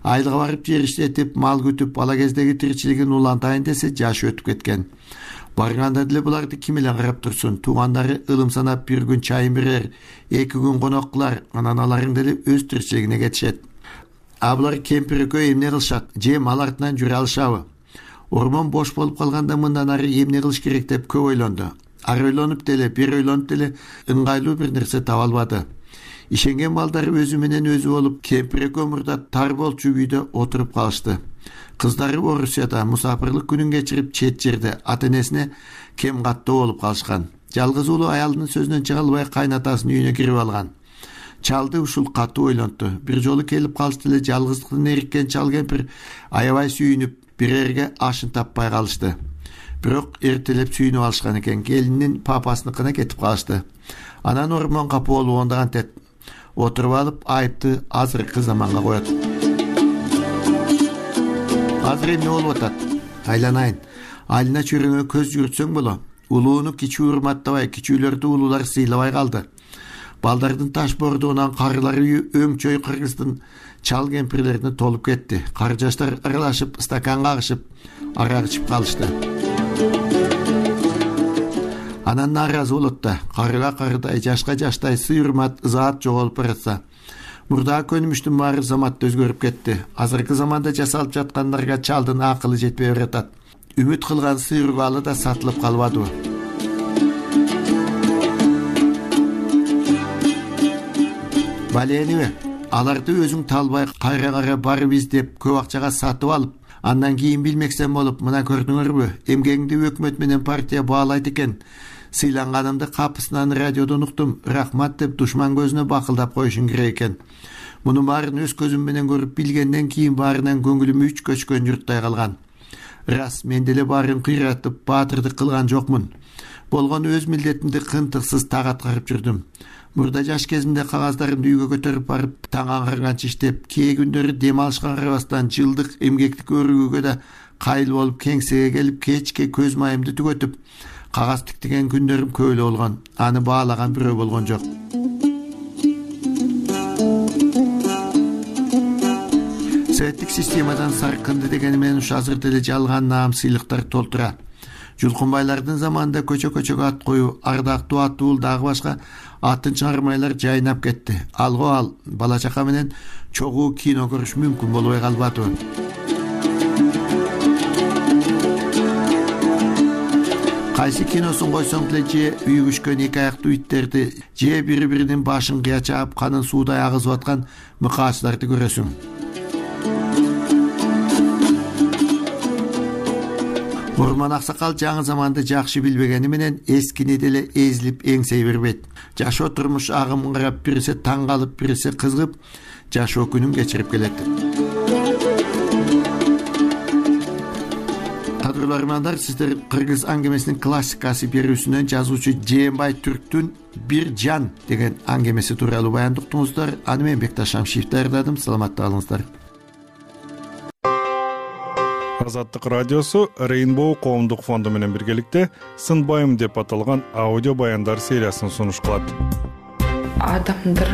Айылга барып жер иштетип, мал күтүп, бала кездеги тиричилигин улантайын десе жашы өтүп кеткен. Барганда деле буларды ким эле карап турсун? Туугандары ылым санап бир күн чайын берер, эки күн конок кылар, анан аларың деле өз тиричилигине кетишет. А булар кемпир экөө эмне кылышат? Же мал артынан жүрө алышабы? Ормон бош болуп калганда мындан ары эмне кылыш керек деп көп ойлонду. Ар ойлонуп деле, бир ойлонуп деле ыңгайлуу бир нерсе таба албады. Ишенген балдары өзү менен өзү болуп, кемпир экөө мурда тар болчу үйдө отуруп калышты. Кыздары Орусияда мусафирлык күнүн кечирип чет жерде ата-энесине кем каттоо болуп калышкан. Жалгыз уулу аялдын сөзүнөн чыга албай кайнатасынын үйүнө кирип алган. Чалды ушул катуу ойлонту. Бир жолу келип калышты эле жалгыздыктан эриккен чал кемпир аябай сүйүнүп, бир эрге ашын таппай калышты. Бирок эртелеп сүйүнүп алышкан экен. Келинин папасыныкына кетип калышты. Анан Ормон капы болуп ондаган тет отуруп алып айыпты азыркы заманга коет. Азыр эмне болуп атат? Айланайын. Айылына чөйрөңө көз жүгүртсөң боло. Улууну кичүү урматтабай, кичүүлөрдү улуулар сыйлабай калды. Балдардын таш бордугунан карылар үйү өңчөй кыргыздын чал кемпирлерине толуп кетти. Кар жаштар аралашып, стакан кагышып, арак ичип калышты. Анан нааразы болот да, карыга карыдай, жашка жаштай сый урмат, ызаат жоголуп баратса. Мурдагы көнүмүштүн баары заматта өзгөрүп кетти. Азыркы заманда жасалып жаткандарга чалдын акылы жетпей баратат. Үмүт кылган сый урбалы да сатылып калбадыбы? Баленибе, аларды өзүң талбай кайра кайра барып издеп көп акчага сатып алып, андан кийин билмексен болуп, мына көрдүңөрбү, эмгегиңди өкмөт менен партия баалайт экен. Сыйланганымды капысынан радиодон уктум, рахмат деп душман көзүнө бакылдап коюшуң керек экен. Муну баарын өз көзүм менен көрүп билгенден кийин баарынан көңүлүм үч көчкөн журттай калган. Рас, мен деле баарын кыйратып, баатырдык кылган жокмун. Болгон өз милдетимди кынтыксыз так аткарып жүрдүм. Мурда жаш кезимде кагаздарымды үйгө көтөрүп барып, таң аңгарганча иштеп, кээ күндөрү дем алышка карабастан жылдык эмгектик өрүгүүгө да кайыл болуп, кеңсеге келип, кечке көз майымды түгөтүп, кагаз тиктеген күндөрүм көп эле болгон. Аны баалаган бирөө болгон жок. Советтик системадан саркынды дегени менен ушу азыр деле жалган наам сыйлыктар толтура. Жулкунбайлардын заманында көчө-көчөгө ат коюу, ардактуу аттуул дагы башка атын чыгармайлар жайнап кетти. Алго ал бала чака менен чогуу кино көрүш мүмкүн болбой калбадыбы? Кайсы киносун койсоң деле же үйгүшкөн эки аяктуу иттерди, же бири-биринин башын кыя чаап, канын суудай агызып аткан мыкаачыларды көрөсүң. Ормон Аксакал жаңы заманды жакшы билбегени менен эскини деле эзилип эңсей бербейт. Жашоо турмуш агымын карап, бириси таң калып, бириси кызыгып, жашоо күнүн кечирип келет. Кадырлуу армандар, сиздер кыргыз аңгемесинин классикасы берүүсүнөн жазуучу Жээнбай Түрктүн «Бир жан» деген аңгемеси тууралуу баяндап уктуңуздар. Аны мен Бекташ Шамшиев даярдадым. Саламатта калыңыздар. Азаттык радиосу Rainbow коомдук фонду менен биргеликте «Сынбайым» деп аталган аудио баяндар сериясын сунуш кылат. Адамдар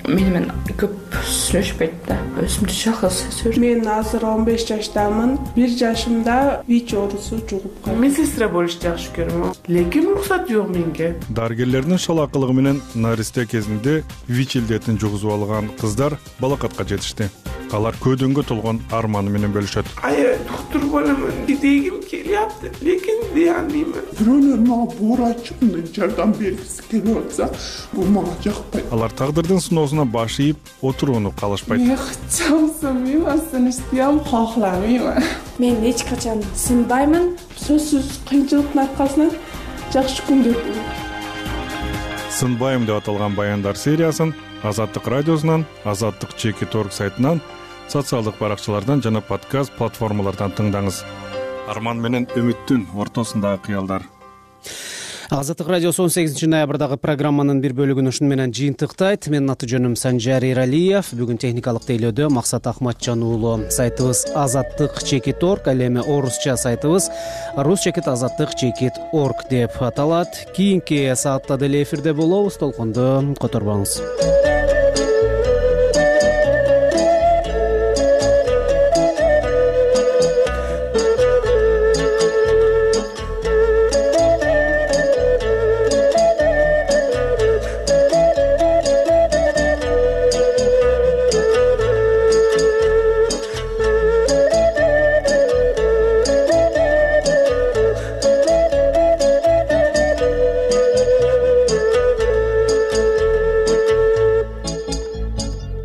менен көп сүйлөшпөйт да. Өзүмдү жалгыз сезем. Мен азыр он беш жаштамын. бир жашымда ВИЧ оорусу жугуп калды. Мен сестра болушты жакшы көрөм. Лекин уруксат жок менге. Дарыгерлердин шалаакылыгы менен наристе кезинде ВИЧ илдетин жугузуп алган кыздар балакатка жетишти. алар көөдөнгө толгон арманы менен бөлүшөт. Аябай доктор боламын дегим келиапты, лекин дей албаймын. Бирөөлөр мага буура айтып мындай жардам бергиси келип атса, бул мага жакпайт. Алар тагдырдын сыноосуна баш ийип отурууну каалашпайт. Мен чамсамайм, сынышты кахламайм. Мен эч качан сынбаймын. Сөзсүз кыйынчылыктын аркасынан жакшы күндөр болот. Сынбайм деп аталган баяндар сериясын Азаттык радиосунан, Азаттык чекит точка орг сайтынан, социалдык баракчалардан жана подкаст платформалардан тыңдаңыз. Арман менен үмүттүн ортосундагы кыялдар. Азаттык радиосу он сегизинчи ноябрдагы программанын бир бөлүгүн ушуну менен жыйынтыктайт. Менин аты жөнүм Санжар Иралиев. Бүгүн техникалык тейлөөдө Максат Ахматжан уулу. Сайтыбыз азаттык чекит точка орг, ал эми орусча сайтыбыз рус чекит азаттык чекит точка орг деп аталат. Кийинки саатта деле эфирде болобуз. Толкунду которбоңуз.